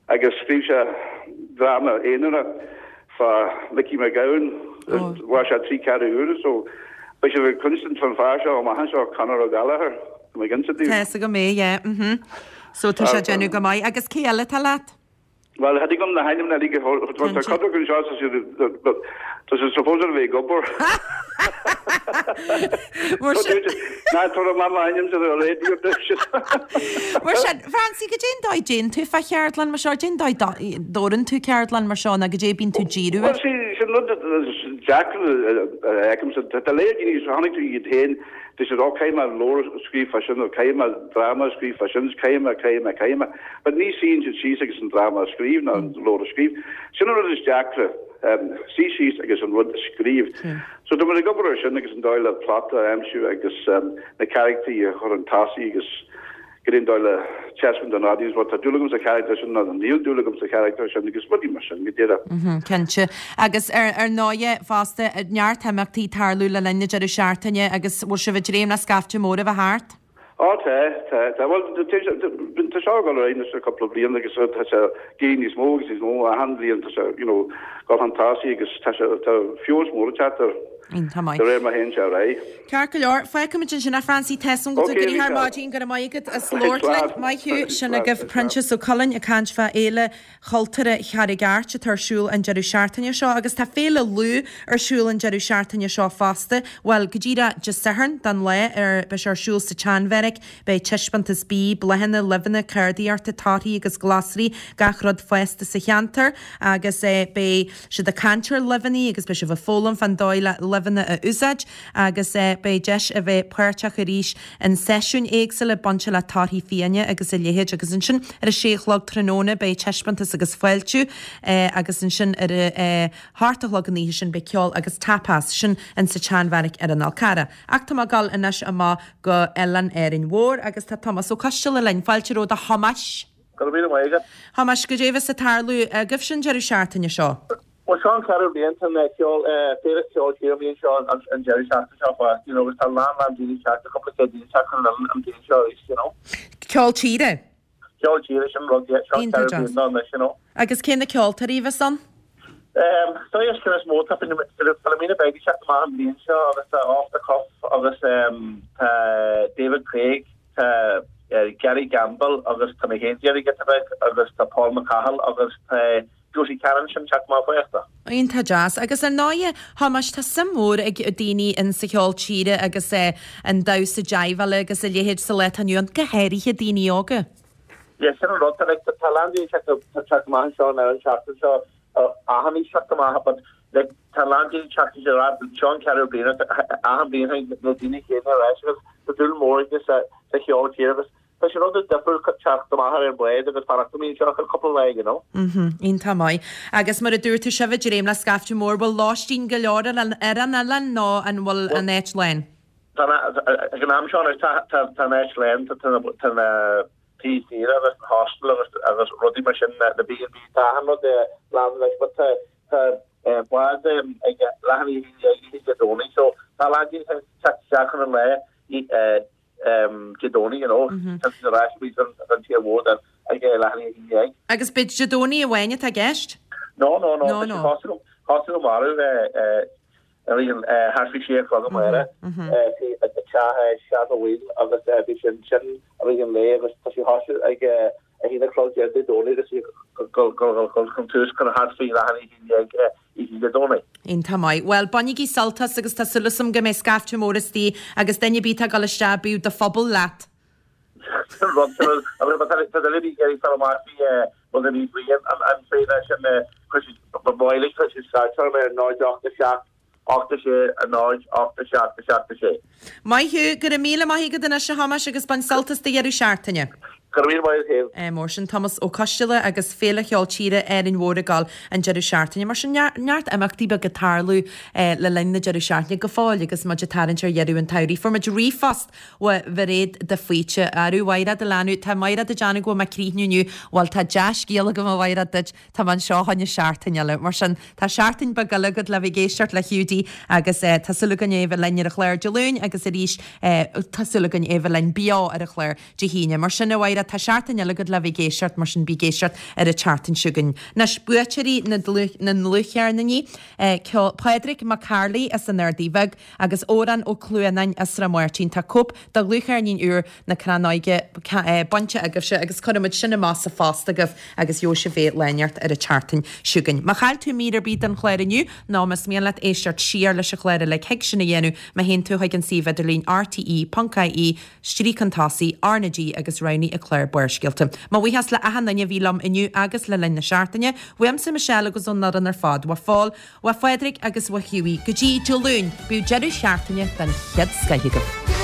agus scríobh sé dráma aonarach fá Mickey McGowan, mhair sé trí ceathrú uaire so beidh sibh ag cluinstin fán fear seo amach anseo, Conor Ó Gallchóir, tá mé ag inse daoibh. Tá fhios agam é, yeah, mhm. So tá sé ag déanamh go maith. Agus cé eile atá leat? Bhuel, thig liom na hainmneacha uilig a thabhairt, tá cuid acu anseo, tá siad, tá siad supposed a bheith ag obair. Mar sin. Ná tabhair amach m'ainm ar an raidió duit. Mar sin, Francie, goidé an dóigh a dtéann tú fá cheardlann mar seo, goidé an dóigh a dtórann tú ceardlann mar seo, nó goidé a bíonn tú ag díriú air? Bhuel, sí, sin rud deacair a fheicimse. Tá léar daoine, chonaic tú iad féin, Deir siad, oh, caithfidh mé leabhar a scríobh fá sin, nó caithfidh mé dráma a scríobh fá sin, caithfidh mé, caithfidh mé, caithfidh mé. But ní suíonn siad síos agus an dráma a scríobh nó an leabhar a scríobh. Sin an rud is deacra, suí síos agus an rud a scríobh. So tá muid ag obair ar sin agus an dóigh le plot a aimsiú agus na carachtaí a chur chun tosaigh agus goidé an dóigh le taispeáint don audience, bhuel tá dúil agam sa charachtar sin nó níl dúil agam sa charachtar sin agus rudaí mar sin go díreach. Cinnte. Agus ar ar ndóighe fosta, neart imeachtaí ag tarlú le linn na deireadh seachtaine agus bhfuil sibh ag dréim le scaifte mór a bheith thart? Á tá, tá, tá. Bhuel tá seo ag dul ar aghaidh anois le cúpla bliain agus tá sé ag éirí níos mó agus níos mó achan bhliain tá sé, you know, dul chun tosaigh agus tá sé, tá feabhas mór ag teacht air. Iontach maith. De réir mar a théann sé ar aghaidh. Ceart go leor, fágfaimid ansin é Francie, tá 'fhios a'm go bhfuil tú gnoitheach ar maidin, go raibh maith agat as labhairt linn. Maith thú, sin agaibh Proinsias Ó Coileáin ag caint fá Fhéile Chultúrtha Charraig Airt atá ar siúl an deireadh seachtaine seo agus tá Féile Lú ar siúl an deireadh seachtaine seo fosta, bhuel go díreach Dé Sathairn don lá ar beidh sé ar siúl sa tSeanbheairic. Beidh taispeántas bídh, bláthanna, luibheanna, ceardaíochta, torthaí agus glasraí, gach rud fásta sa cheantar agus beidh siad ag caint ar luibheanna agus beidh sibh ag foghlaim fán dóigh le luibheanna a úsáid agus beidh deis a bheith páirteach arís in seisiúin éagsúla bainte le torthaí fiáine agus a leithéid agus ansin ar a sé a chlog tráthnóna beidh taispeántas agus fáiltiú agus ansin ar a hocht a chlog an oíche sin beidh ceol agus tapas, sin in sa tSeanbheairic ar an Fhál Carrach. Ach tá mé ag dul anois amach go Oileán Árainn Mhór agus tá Tomás Ó Coisteala linn. Fáilte romhat a Thomáis. Go raibh míle maith agat. Thomáis, goidé a bheas ag tarlú agaibhse an deireadh seachtaine seo? Bhuel, seo an ceathrú bliain, tá an ceol, féile ceoil tíre an bhliain seo, an deireadh seachtaine seo fosta, you know, agus tá a lán, lán daoine ag teacht, tá cúpla céad daoine ag teacht chun an oileáin an bhliain seo arís, you know. Ceol tíre? Ceol tíre, sin rud, yeah, seo an ceathrú bliain dó anois, you know. Agus cé na ceoltóirí a bheas ann? So is ceann is mó, tá Philomena Begley ag teacht amach an bhliain seo agus tá Off the Cuff agus tá David Craig, tá Gary Gambill agus tá mé féin ag déanamh giota beag agus tá Paul McCahill agus tá Josie Cannon sin ag teacht amach fosta. Iontach deas. Agus ar ndóighe, Thomáis, tá suim mhór ag daoine in sa cheol tíre agus an damhsa jiveála agus a leithéid sa lá atá inniu ann, go háirithe daoine óga. Yeah, sin an rud, tá like, tá a lán daoine ag teacht amach anseo now an tseachtain seo, achan aois ag teacht amach, but like, tá a lán daoine ag teacht anseo, seo an ceathrú bliain, achan bliain na daoine céanna ar ais agus tá dúil mór aige sa, sa cheol tíre agus. tá sé rud difriúil teacht amach ar an bhád agus fanacht amuigh anseo ar cúpla lá, you know. Mhm, iontach maith. Agus mar a dúirt tú, sibh ag dréim le scaifte mór, bhfuil lóistín go leor ar an oileán nó an bhfuil an áit lán? Tá, ag an am seo anois tá, tá, tá an áit lán, tá, tá na, tá na tithe saoire agus an hostel agus, agus rudaí mar sin, na B&B, tá achan rud lán anois but tá, tá bád ag leath i ndiaidh a haon déag oíche Dé Domhnaigh so tá a lán daoine ag teacht isteach chun an lae Dé Domhnaigh, you know, tá siad ar ais arís don tír mhór then ag leath i ndiaidh a haon déag. Agus b'é Dé Domhnaigh amháin atá i gceist? No, no, no, tá sé thosaigh thosaigh amárach thart faoi sé a chlog amárach i dteach Seán Ó Baoill agus bhí sin sin i rith an lae agus tá sé thosaigh ag 1 a chlog Dé Domhnaigh agus dul chun tús chun thart faoi leath i ndiaidh a haon déag oíche Dé Domhnaigh. Iontach maith. Bhuel, bainigí sult as agus tá súil agam go mbeidh scaifte mór istigh agus duine ar bith atá ag dul isteach, bíodh do phuball leat. Sin rud, sin rud. Agus má tá duine ar bith ag iarraidh fáil amach faoi rud ar bith faoi an féile sin, cuir siad, ba mhaith linn cuir siad scairt orm ar 0 8 7 8 6 0 8 7 7 6. Maith thú. Go raibh míle maith agat anois a Thomáis agus bain sult as do dheireadh seachtaine. Go raibh míle maith agat féin. Mar sin, Tomás Ó Coisteala agus Féile Cheol Tíre Árainn Mhór ag gabháil an deireadh seachtaine. Mar sin, neart imeachtaí beaga ag tarlú le linn na deireadh seachtaine go fóill agus muid ag tarraingt ar dheireadh an tsamhraidh. Fuair muid ríomhphost ó Mhairéad de Faoite. Arú, a Mhairéad, a leanbh, tá Mairéad ag déanamh go bhfuil mé ag críochnú inniu. Bhuel, tá dea-scéal agam a Mhairéad duit. Tá mé anseo fá choinne seachtain eile. Mar sin, tá seachtain beag eile agat le bheith ag éisteacht le Hiúdaí agus tá súil againn é a bheith linn ar an chlár Dé Luain agus arís tá súil againn é a bheith linn beo ar an chlár Dé hAoine. Mar sin, a Mhairéad, tá seachtain eile agat le bheith ag éisteacht, mar sin bí ag éisteacht ar an tseachtain seo chugainn. Anois, buaiteoirí na ndlúthcheirníní, ceol, Pádraig Mac Cárthaigh as an Ardaidh Bheag agus Odhrán Ó Cluanáin as Srath Máirtín. Tá cóip de dhlúthcheirnín úr na Crannóige bainte agaibhse agus cuirfimid sin amach sa phost agaibh agus gheobhaidh sibh é lá inteacht ar an tseachtain seo chugainn. Má chaill tú mír ar bith den chlár inniu nó más mian leat éisteacht siar leis an chlár uilig thig sin a dhéanamh má théann tú chuig an suíomh idirlín rte.ie stríoc chun tosaigh, R na G agus roghnaigh an clár Barrscéalta. Mo bhuíochas le achan duine a bhí liom inniu agus le linn na seachtaine, uaimse Michelle agus ón fhoireann ar fad, ó Phól, ó Phádraig agus ó Hughie. Go dtí Dé Luain, bíodh deireadh seachtaine den chéad scoith agaibh.